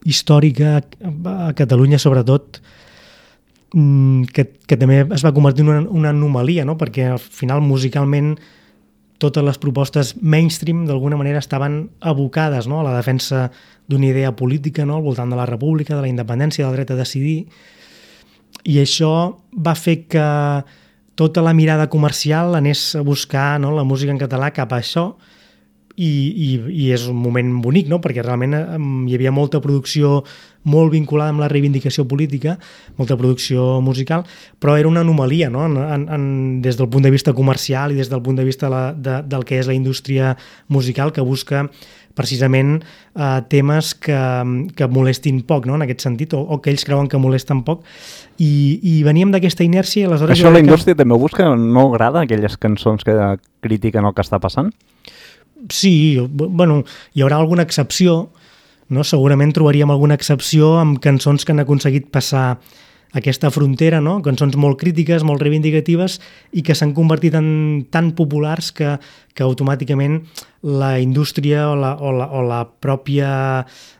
històrica a Catalunya, sobretot, que, que també es va convertir en una, una anomalia, no? Perquè al final musicalment totes les propostes mainstream d'alguna manera estaven abocades, no? A la defensa d'una idea política, no? Al voltant de la república, de la independència, del dret a decidir, i això va fer que tota la mirada comercial anés a buscar, no? La música en català cap a això, i, i, i és un moment bonic, no? Perquè realment hi havia molta producció molt vinculada amb la reivindicació política, molta producció musical, però era una anomalia, no? En, en, en, des del punt de vista comercial i des del punt de vista la, de, del que és la indústria musical, que busca precisament eh, temes que, que molestin poc, no? En aquest sentit, o, o que ells creuen que molesten poc, i, i veníem d'aquesta inèrcia. Aleshores això la indústria que... també busca, no agrada aquelles cançons que critiquen el que està passant? Sí, bueno, hi haurà alguna excepció, no? Segurament trobaríem alguna excepció amb cançons que han aconseguit passar aquesta frontera, no? Cançons molt crítiques, molt reivindicatives i que s'han convertit en tan populars que, que automàticament la indústria o la, o la, o la pròpia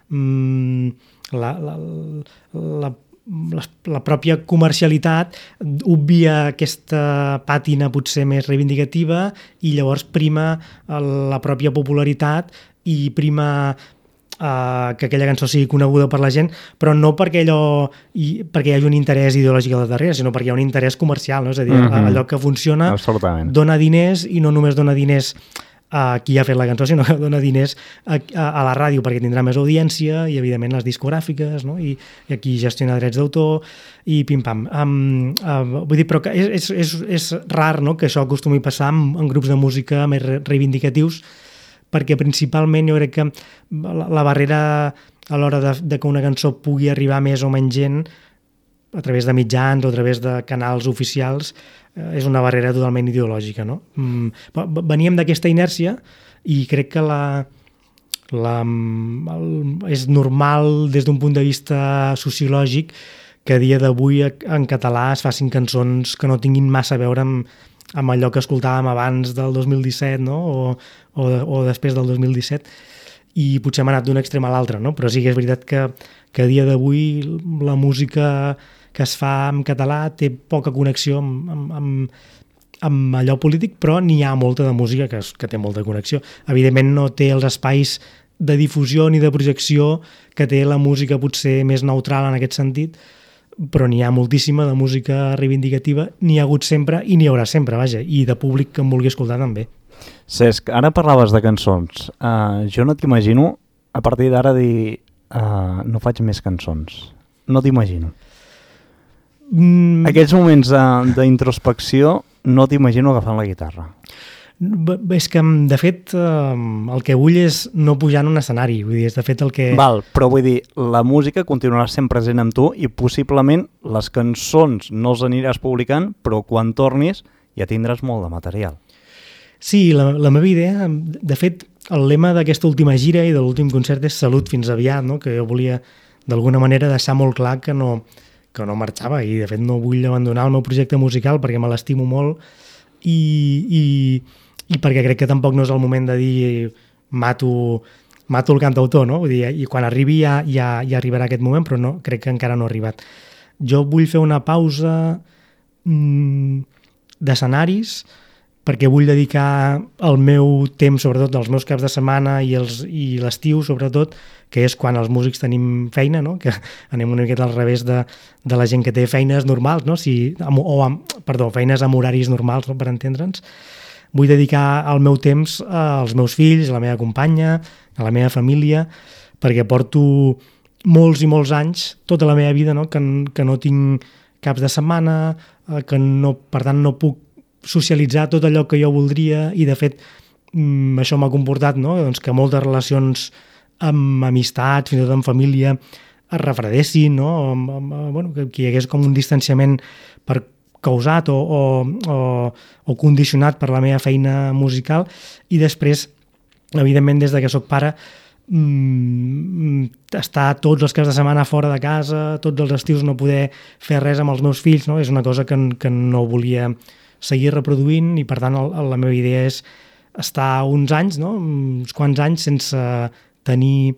mmm, la, la, la La, la pròpia comercialitat obvia aquesta pàtina potser més reivindicativa i llavors prima la pròpia popularitat i prima uh, que aquella cançó sigui coneguda per la gent, però no perquè allò i, perquè hi hagi un interès ideològic al darrere, sinó perquè hi ha un interès comercial, no? És a dir, mm-hmm. allò que funciona dona diners i no només dona diners a qui ha fet la cançó, sinó que dona diners a, a, a la ràdio perquè tindrà més audiència i, evidentment, les discogràfiques, no? I, i aquí gestiona drets d'autor i pim-pam. Um, uh, vull dir, però que és, és, és rar, no?, que això acostumi a passar en, en grups de música més reivindicatius, perquè principalment jo crec que la, la barrera a l'hora de, de que una cançó pugui arribar més o menys gent a través de mitjans o a través de canals oficials és una barrera totalment ideològica, no? Veníem d'aquesta inèrcia i crec que la, la, el, és normal des d'un punt de vista sociològic que a dia d'avui en català es facin cançons que no tinguin massa a veure amb, amb allò que escoltàvem abans del dos mil disset, no? o, o, o després del dos mil disset, i potser hem anat d'un extrem a l'altre, no? Però sí que és veritat que, que a dia d'avui la música que es fa en català té poca connexió amb, amb, amb, amb allò polític, però n'hi ha molta de música que, que té molta connexió. Evidentment no té els espais de difusió ni de projecció que té la música potser més neutral en aquest sentit, però n'hi ha moltíssima de música reivindicativa, n'hi ha hagut sempre i n'hi haurà sempre, vaja, i de públic que em vulgui escoltar també. Cesc, ara parlaves de cançons. Uh, jo no t'imagino, a partir d'ara, dir uh, no faig més cançons. No t'imagino. Mm. Aquells moments d'introspecció no t'imagino agafant la guitarra. És que, de fet, el que vull és no pujar en un escenari. Vull dir, és de fet el que... Val, però vull dir, la música continuarà sent present amb tu i possiblement les cançons no les aniràs publicant, però quan tornis ja tindràs molt de material. Sí, la, la meva idea, de fet, el lema d'aquesta última gira i de l'últim concert és Salut fins aviat, no? Que jo volia d'alguna manera deixar molt clar que no... que no marxava i de fet no vull abandonar el meu projecte musical perquè me l'estimo molt i, i, i perquè crec que tampoc no és el moment de dir mato, mato el cantautor, no? Vull dir, i quan arribi ja, ja, ja arribarà aquest moment, però no, crec que encara no ha arribat. Jo vull fer una pausa mmm, d'escenaris perquè vull dedicar el meu temps, sobretot els meus caps de setmana i, els, i l'estiu, sobretot, que és quan els músics tenim feina, no? Que anem una miqueta al revés de, de la gent que té feines normals, no? Si, o amb, perdó, feines amb horaris normals, no? Per entendre'ns. Vull dedicar el meu temps als meus fills, a la meva companya, a la meva família, perquè porto molts i molts anys, tota la meva vida, no? Que, que no tinc caps de setmana, que no, per tant no puc socialitzar tot allò que jo voldria i de fet mm, això m'ha comportat, no? Doncs que moltes relacions amb amistats, fins i tot amb família, es refredessin, no? Amb, amb, bueno, que, que hi hagués com un distanciament per causat o, o, o, o condicionat per la meva feina musical i després, evidentment, des de que soc pare, mm, estar tots els caps de setmana fora de casa, tots els estius no poder fer res amb els meus fills, no? És una cosa que, que no volia seguir reproduint i per tant el, la meva idea és estar uns anys, no? Uns quants anys sense tenir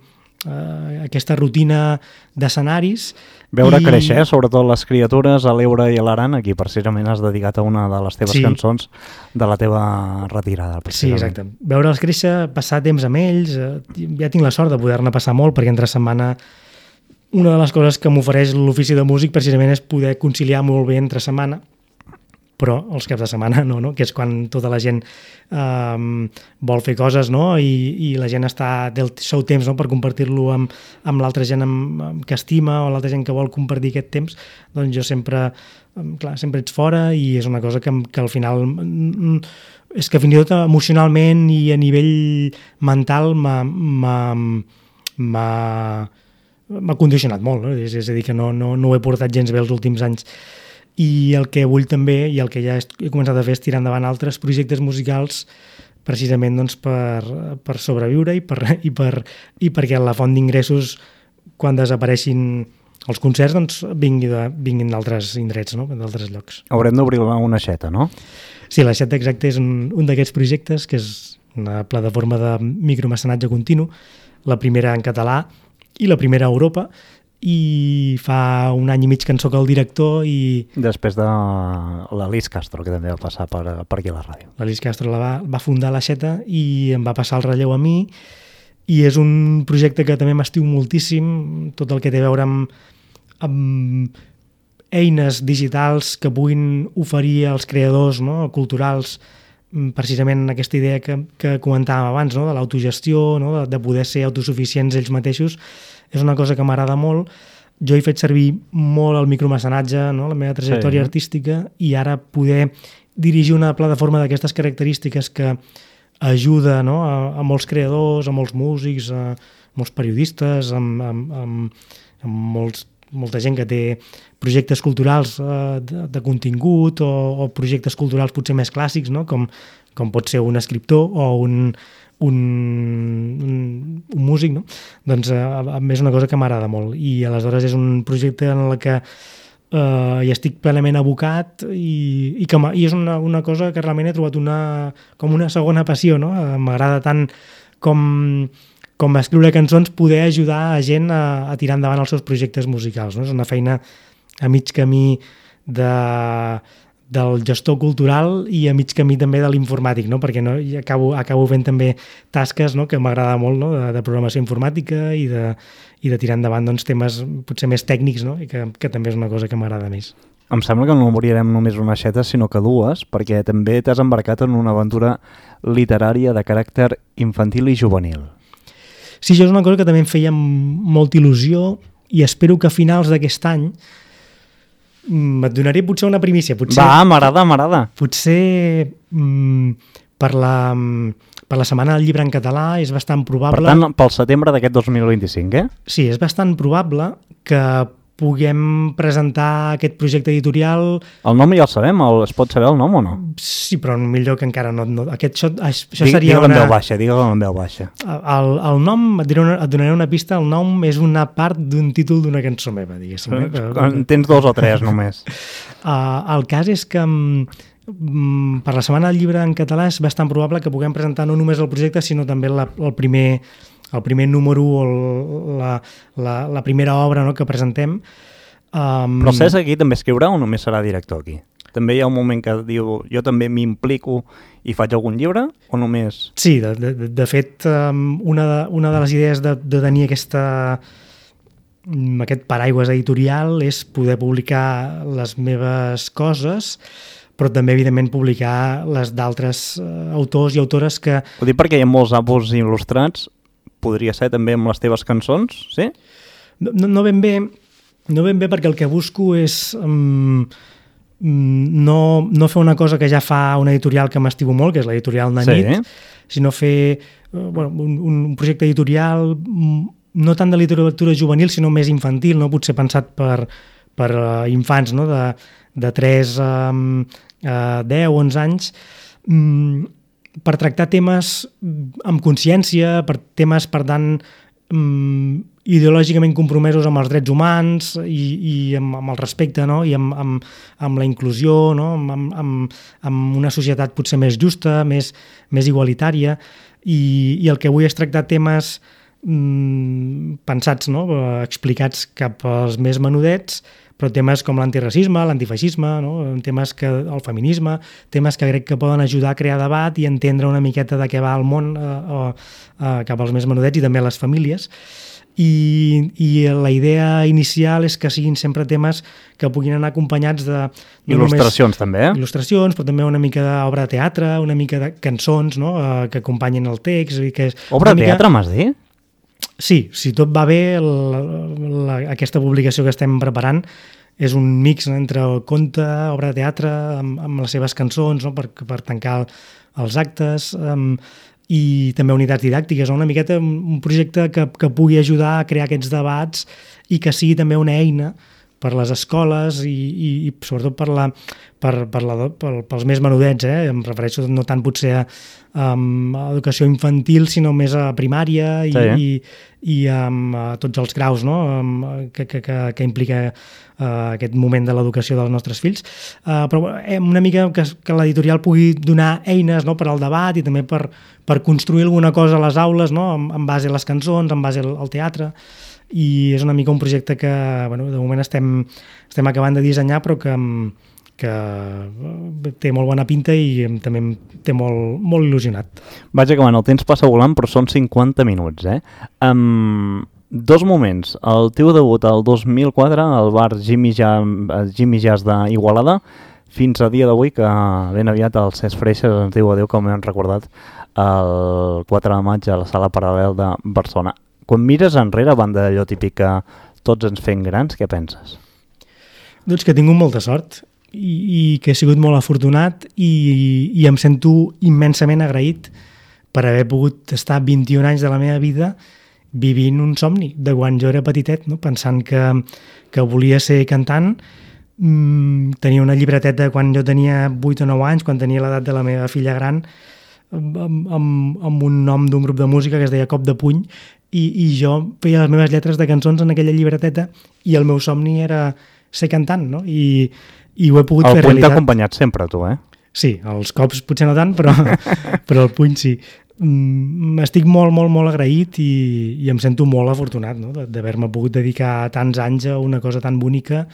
eh, aquesta rutina d'escenaris. Veure i... créixer, eh? Sobretot les criatures, a l'Eure i a l'Aran, aquí precisament has dedicat a una de les teves sí. cançons de la teva retirada. Sí, exacte. Veure'ls créixer, passar temps amb ells, eh, ja tinc la sort de poder-ne passar molt, perquè entre setmana una de les coses que m'ofereix l'ofici de músic precisament és poder conciliar molt bé entre setmana, però els caps de setmana no, no? Que és quan tota la gent um, vol fer coses, no? I, i la gent està del seu temps, no? Per compartir-lo amb, amb l'altra gent amb, amb que estima o l'altra gent que vol compartir aquest temps, doncs jo sempre, clar, sempre ets fora i és una cosa que, que al final és que fins i tot emocionalment i a nivell mental m'ha m'ha m'ha condicionat molt, no? És, és a dir, que no, no, no ho he portat gens bé els últims anys. I el que vull també, i el que ja he començat a fer, és tirar endavant altres projectes musicals precisament doncs, per, per sobreviure i, per, i, per, i perquè la font d'ingressos, quan desapareixin els concerts, doncs, vingui de, vinguin d'altres indrets, no? D'altres llocs. Haurem d'obrir una aixeta, no? Sí, l'aixeta exacte és un, un d'aquests projectes, que és una plataforma de micromecenatge continu, la primera en català i la primera a Europa, i fa un any i mig que en soc el director i... Després de l'Alice Castro, que també va passar per, per aquí a la ràdio. L'Alice Castro la va, va fundar l'aixeta i em va passar el relleu a mi i és un projecte que també m'estiu moltíssim, tot el que té a veure amb, amb eines digitals que puguin oferir als creadors, no? Culturals, precisament aquesta idea que, que comentàvem abans, no? De l'autogestió, no? de, de poder ser autosuficients ells mateixos, és una cosa que m'agrada molt. Jo he fet servir molt el micromecenatge, no? La meva trajectòria sí. artística, i ara poder dirigir una plataforma d'aquestes característiques que ajuda, no? a, a molts creadors, a molts músics, a molts periodistes, amb, amb, amb, amb molts, molta gent que té projectes culturals eh, de, de contingut o, o projectes culturals potser més clàssics, no? com, com pot ser un escriptor o un, un, un, un músic, no? Doncs eh, a més és una cosa que m'agrada molt i aleshores és un projecte en el que eh, hi estic plenament abocat i, i, que i és una, una cosa que realment he trobat una, com una segona passió, no? M'agrada tant com, com escriure cançons, poder ajudar a gent a, a tirar endavant els seus projectes musicals, no? És una feina a mig camí de, del gestor cultural i a mig camí també de l'informàtic, no? Perquè no, acabo, acabo fent també tasques, no? Que m'agrada molt, no? de, de programació informàtica i de, i de tirar endavant doncs, temes potser més tècnics, no? I que, que també és una cosa que m'agrada més. Em sembla que no morirem només una aixeta, sinó que dues, perquè també t'has embarcat en una aventura literària de caràcter infantil i juvenil. Sí, això és una cosa que també em feia molta il·lusió i espero que a finals d'aquest any et donaré potser una primícia. Potser, Va, m'agrada, m'agrada. Potser mm, per, la, per la Setmana del Llibre en català és bastant probable... Per tant, pel setembre d'aquest dos mil vint-i-cinc, eh? Sí, és bastant probable que puguem presentar aquest projecte editorial... El nom ja el sabem, el, es pot saber el nom o no? Sí, però millor que encara no... no aquest, això això Digue, seria digue una... en veu baixa, digue-ho en veu baixa. El, el nom, et, diré una, et donaré una pista, el nom és una part d'un títol d'una cançó meva, diguéssim. Eh? En tens dos o tres només. Uh, el cas és que um, per la Setmana del Llibre en català és bastant probable que puguem presentar no només el projecte, sinó també la, el primer... el primer número o la, la, la primera obra, no?, que presentem. Um... Però el Cesc aquí també escriurà o només serà director aquí? També hi ha un moment que diu jo també m'implico i faig algun llibre o només... Sí, de, de, de fet, um, una, de, una de les idees de, de tenir aquesta, aquest paraigües editorial és poder publicar les meves coses, però també, evidentment, publicar les d'altres uh, autors i autores que... Ho dic perquè hi ha molts àlbums il·lustrats. Podria ser també amb les teves cançons, sí? No, no ben bé, no ben bé perquè el que busco és um, no, no fer una cosa que ja fa una editorial que m'estimo molt, que és l'editorial Nanit, sí. sinó fer bueno, un, un projecte editorial no tant de literatura juvenil, sinó més infantil, no? Potser pensat per, per uh, infants, no? de, de tres a deu, onze anys, um, per tractar temes amb consciència, per temes, per tant, um, ideològicament compromesos amb els drets humans i, i amb, amb el respecte, no? I amb, amb, amb la inclusió, no? amb, amb, amb una societat potser més justa, més, més igualitària, i, i el que vull és tractar temes mm, pensats, no? explicats cap als més menudets, però temes com l'antiracisme, l'antifeixisme, no? temes que, el feminisme, temes que crec que poden ajudar a crear debat i entendre una miqueta de què va el món eh, eh, cap als més menudets i també a les famílies. I, i la idea inicial és que siguin sempre temes que puguin anar acompanyats de... No il·lustracions també, eh? Il·lustracions, però també una mica d'obra de teatre, una mica de cançons, no? eh, que acompanyin el text. I que és obra de mica... teatre, m'has dit? Sí, si tot va bé, la, la, aquesta publicació que estem preparant és un mix entre conte, obra de teatre, amb, amb les seves cançons, no? per, per tancar els actes... Um, i també unitats didàctiques, una miqueta un projecte que, que pugui ajudar a crear aquests debats i que sigui també una eina per les escoles i, i, i sobretot per la, per, per la, per, pels més menudets, eh? Em refereixo no tant potser a, um, a educació infantil, sinó més a primària i, sí. i, i um, a tots els graus, no? um, que, que, que, que implica uh, aquest moment de l'educació dels nostres fills. Uh, però eh, una mica que, que l'editorial pugui donar eines, no? per al debat i també per, per construir alguna cosa a les aules, no? en, en base a les cançons, en base al, al teatre. I és una mica un projecte que bueno, de moment estem, estem acabant de dissenyar, però que, que té molt bona pinta i també em té molt, molt il·lusionat. Vaig acabant, el temps passa volant, però són cinquanta minuts, eh? Um, dos moments. El teu debut el dos mil quatre al bar Jimmy Jazz, Jimmy Jazz d'Igualada, fins a dia d'avui, que ben aviat el Cesc Freixas ens diu adéu, com hem recordat, el quatre de maig a la Sala Paral·lel de Barcelona. Quan mires enrere, a banda d'allò típic que tots ens fem grans, què penses? Doncs que he tingut molta sort i, i que he sigut molt afortunat i, i em sento immensament agraït per haver pogut estar vint-i-un anys de la meva vida vivint un somni de quan jo era petitet, no? Pensant que, que volia ser cantant. Mm, tenia una llibreteta quan jo tenia vuit o nou anys, quan tenia l'edat de la meva filla gran, amb, amb, amb un nom d'un grup de música que es deia Cop de Puny, i, i jo feia les meves lletres de cançons en aquella llibreteta i el meu somni era ser cantant, no? I, i ho he pogut el fer realitat. El puny t'ha acompanyat sempre, tu, eh? Sí, els cops potser no tant, però, però el puny sí. Mm, estic molt, molt, molt agraït i, i em sento molt afortunat, no? D'haver-me pogut dedicar tants anys a una cosa tan bonica,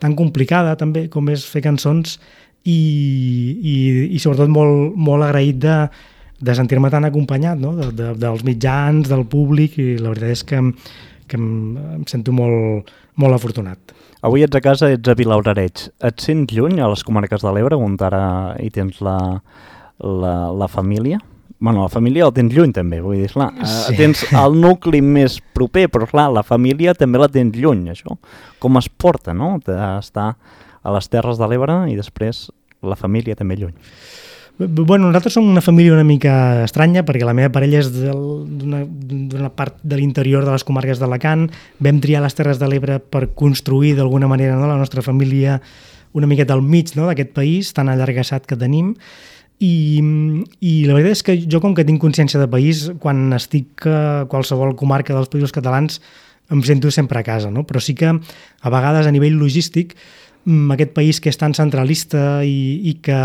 tan complicada també, com és fer cançons i, i, i sobretot molt, molt agraït de de sentir-me tan acompanyat, no? de, de, dels mitjans, del públic, i la veritat és que, que em, em sento molt, molt afortunat. Avui ets a casa, ets a Vilablareix. Et sents lluny a les comarques de l'Ebre, on ara hi tens la, la, la família? Bueno, la família la tens lluny també, vull dir, clar, sí. Tens el nucli més proper, però clar, la família també la tens lluny, això. Com es porta, no?, d'estar a les Terres de l'Ebre i després la família també lluny. Bueno, nosaltres som una família una mica estranya perquè la meva parella és d'una part de l'interior de les comarques d'Alacant. Vam triar les Terres de l'Ebre per construir d'alguna manera, no, la nostra família una miqueta al mig, no, d'aquest país tan allargassat que tenim. I, i la veritat és que jo, com que tinc consciència de país, quan estic a qualsevol comarca dels països catalans em sento sempre a casa, no? Però sí que a vegades a nivell logístic aquest país que és tan centralista i, i que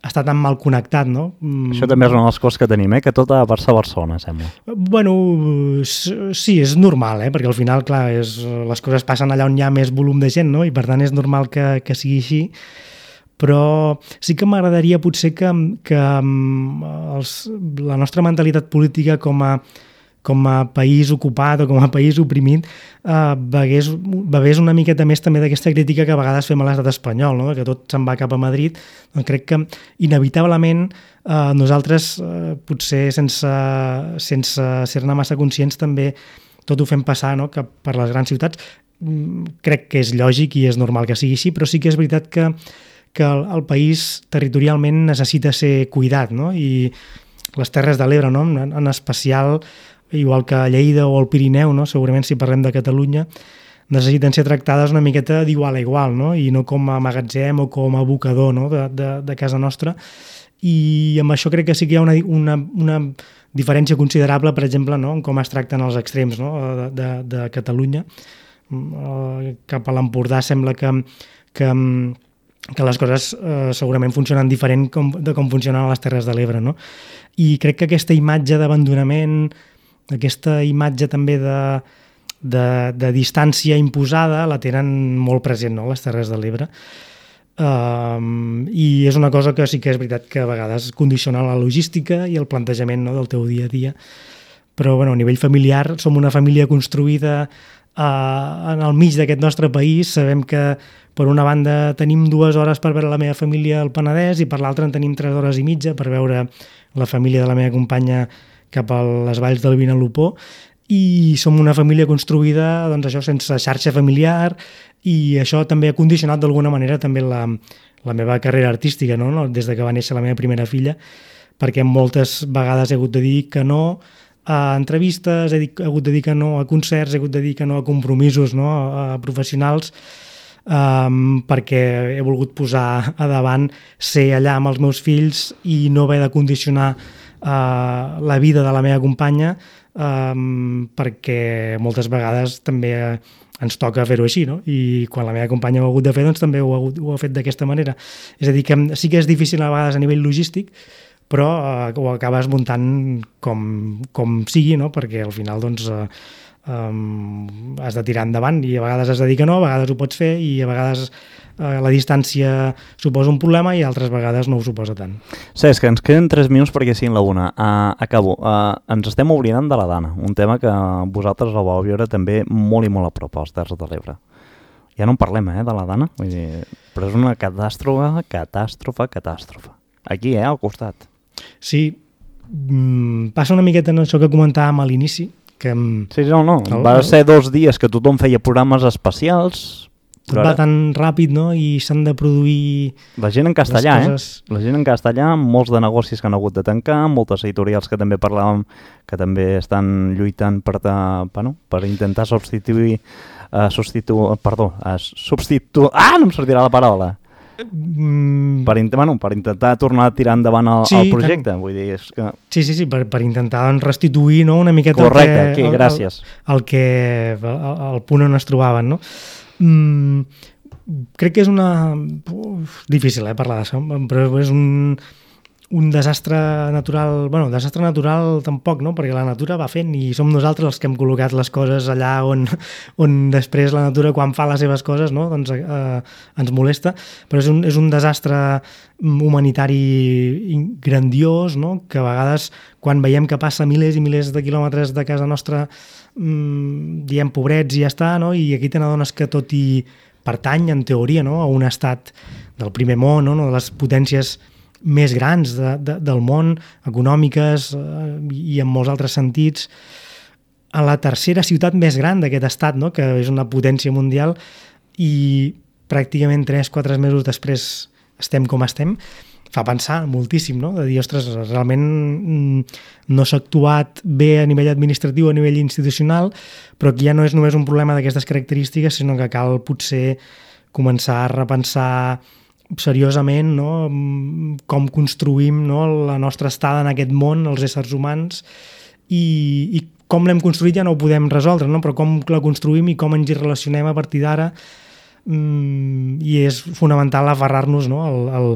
està tan mal connectat, no? Això també és una de les coses que tenim, eh? Que tot ha de passar a Barcelona, sembla. Bueno, sí, és normal, eh? Perquè al final, clar, és, les coses passen allà on hi ha més volum de gent, no? I per tant és normal que, que sigui així. Però sí que m'agradaria potser que, que els, la nostra mentalitat política com a com a país ocupat o com a país oprimit, eh, begués, begués una miqueta més també d'aquesta crítica que a vegades fem a l'estat espanyol, no? Que tot se'n va cap a Madrid. Doncs crec que inevitablement eh, nosaltres, eh, potser sense, sense ser-ne massa conscients, també tot ho fem passar, no? Cap per les grans ciutats. crec que és lògic i és normal que sigui així, però sí que és veritat que, que el, el país territorialment necessita ser cuidat, no? I les Terres de l'Ebre, no? en, en especial, igual que Lleida o el Pirineu, no? Segurament si parlem de Catalunya, necessiten ser tractades una miqueta d'igual a igual, no? I no com a magatzem o com a abocador, no? de, de, de casa nostra. I amb això crec que sí que hi ha una, una, una diferència considerable, per exemple, no? en com es tracten els extrems, no? de, de, de Catalunya. Cap a l'Empordà sembla que, que, que les coses eh, segurament funcionen diferent com, de com funcionen a les Terres de l'Ebre. No? I crec que aquesta imatge d'abandonament, aquesta imatge també de De, de distància imposada la tenen molt present, no? Les Terres de l'Ebre, um, i és una cosa que sí que és veritat que a vegades condiciona la logística i el plantejament, no? del teu dia a dia, però bueno, a nivell familiar som una família construïda uh, en el mig d'aquest nostre país. Sabem que per una banda tenim dues hores per veure la meva família al Penedès i per l'altra en tenim tres hores i mitja per veure la família de la meva companya cap a les valls del Vinalopó, i som una família construïda, doncs això, sense xarxa familiar, i això també ha condicionat d'alguna manera també la, la meva carrera artística, no? Des de que va néixer la meva primera filla, perquè moltes vegades he hagut de dir que no a entrevistes, he hagut de dir que no a concerts, he hagut de dir que no a compromisos, no? a professionals, um, perquè he volgut posar a davant ser allà amb els meus fills i no haver de condicionar uh, la vida de la meva companya, Um, perquè moltes vegades també ens toca fer-ho així, no? I quan la meva companya ho ha hagut de fer, doncs també ho ha, ho ha fet d'aquesta manera. És a dir, que sí que és difícil a vegades a nivell logístic, però uh, ho acabes muntant com, com sigui, no? Perquè al final doncs, uh, um, has de tirar endavant i a vegades has de dir que no, a vegades ho pots fer i a vegades uh, la distància suposa un problema i altres vegades no ho suposa tant. Cesc, que ens queden tres minuts perquè siguin la una. Uh, acabo. Uh, ens estem oblidant de la Dana, un tema que vosaltres el vau viure també molt i molt a prop als Terres de l'Ebre. Ja no en parlem, eh, de la Dana, vull dir, però és una catàstrofe, catàstrofe, catàstrofe. Aquí, eh, al costat. Sí, mm, passa una miqueta en això que comentàvem a l'inici, que... Sí, no, no, el, va ser dos dies que tothom feia programes especials... Tot va tan ràpid, no? I s'han de produir... La gent en castellà, coses... eh? La gent en castellà, molts de negocis que han hagut de tancar, moltes editorials que també parlàvem que també estan lluitant per, de, bueno, per intentar substituir... Uh, substitu... Perdó, uh, substitu... Ah, no em sortirà la paraula! Mm. Per, bueno, per intentar tornar a tirar endavant el, sí, el projecte. Tant... Vull dir, és que... Sí, sí, sí, per, per intentar doncs, restituir, no? Una miqueta... Correcte, el que, aquí, gràcies. El, el, el que... El, el punt on es trobaven, no? Mm, crec que és una... Uf, difícil, eh, parlar d'això, però és un, un desastre natural... Bueno, desastre natural tampoc, no? Perquè la natura va fent i som nosaltres els que hem col·locat les coses allà on, on després la natura, quan fa les seves coses, no? Doncs eh, ens molesta. Però és un, és un desastre humanitari grandiós, no? Que a vegades, quan veiem que passa milers i milers de quilòmetres de casa nostra, mmm, diem pobrets i ja està, no? I aquí te n'adones que tot i pertany, en teoria, no? A un estat del primer món, no? De les potències més grans de, de, del món, econòmiques eh, i en molts altres sentits, a la tercera ciutat més gran d'aquest estat, no? Que és una potència mundial, i pràcticament tres o quatre mesos després estem com estem, fa pensar moltíssim, no? De dir, ostres, realment no s'ha actuat bé a nivell administratiu, a nivell institucional, però que ja no és només un problema d'aquestes característiques, sinó que cal potser començar a repensar seriosament, no? Com construïm, no? La nostra estada en aquest món, els éssers humans, i, i com l'hem construït ja no ho podem resoldre, no? Però com la construïm i com ens hi relacionem a partir d'ara, mm, i és fonamental aferrar-nos, no? al, al,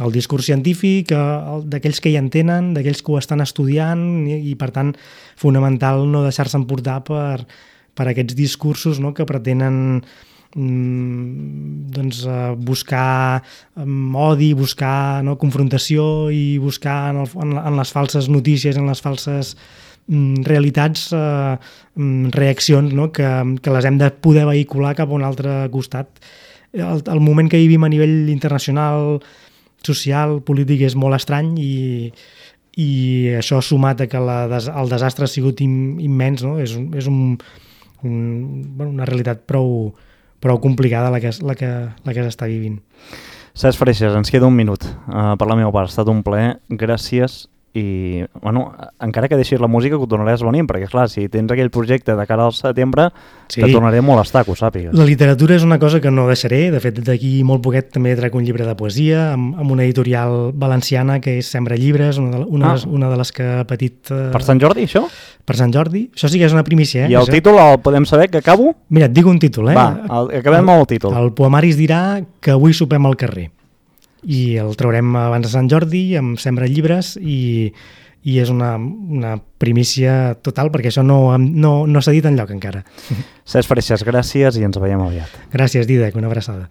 al discurs científic, d'aquells que hi entenen, d'aquells que ho estan estudiant, i, i per tant fonamental no deixar-se emportar per, per aquests discursos, no? Que pretenen doncs, buscar odi, buscar, no, confrontació i buscar en, el, en les falses notícies, en les falses mm, realitats, eh, reaccions, no, que, que les hem de poder vehicular cap a un altre costat. El, el moment que vivim a nivell internacional, social, polític, és molt estrany, i, i això sumat a que la, el desastre ha sigut im, immens, no? És, és un un, bueno, una realitat prou, prou complicada la que, la que, la que s'està vivint. Cesc Freixas, ens queda un minut. Uh, per la meva part, ha estat un plaer. Gràcies. I, bueno, encara que deixis la música que ho tornaràs venint, perquè clar, si tens aquell projecte de cara al setembre, sí, te tornaré a molestar, que ho sàpigues. La literatura és una cosa que no deixaré. De fet, d'aquí molt poquet també trec un llibre de poesia amb, amb una editorial valenciana que és Sembra Llibres, una de, una, ah. una de les que ha patit... Uh, per Sant Jordi, això? Per Sant Jordi. Això sí que és una primícia, eh? I el això. Títol el podem saber, que acabo? Mira, et dic un títol, eh? Va, el, acabem el, amb el títol. El poemari es dirà que avui sopem al carrer. I el traurem abans de Sant Jordi, amb Sembra Llibres, i... i és una, una primícia total perquè això no, no, no s'ha dit enlloc encara. Cesc Freixas, gràcies i ens veiem aviat. Gràcies, Dídac, una abraçada.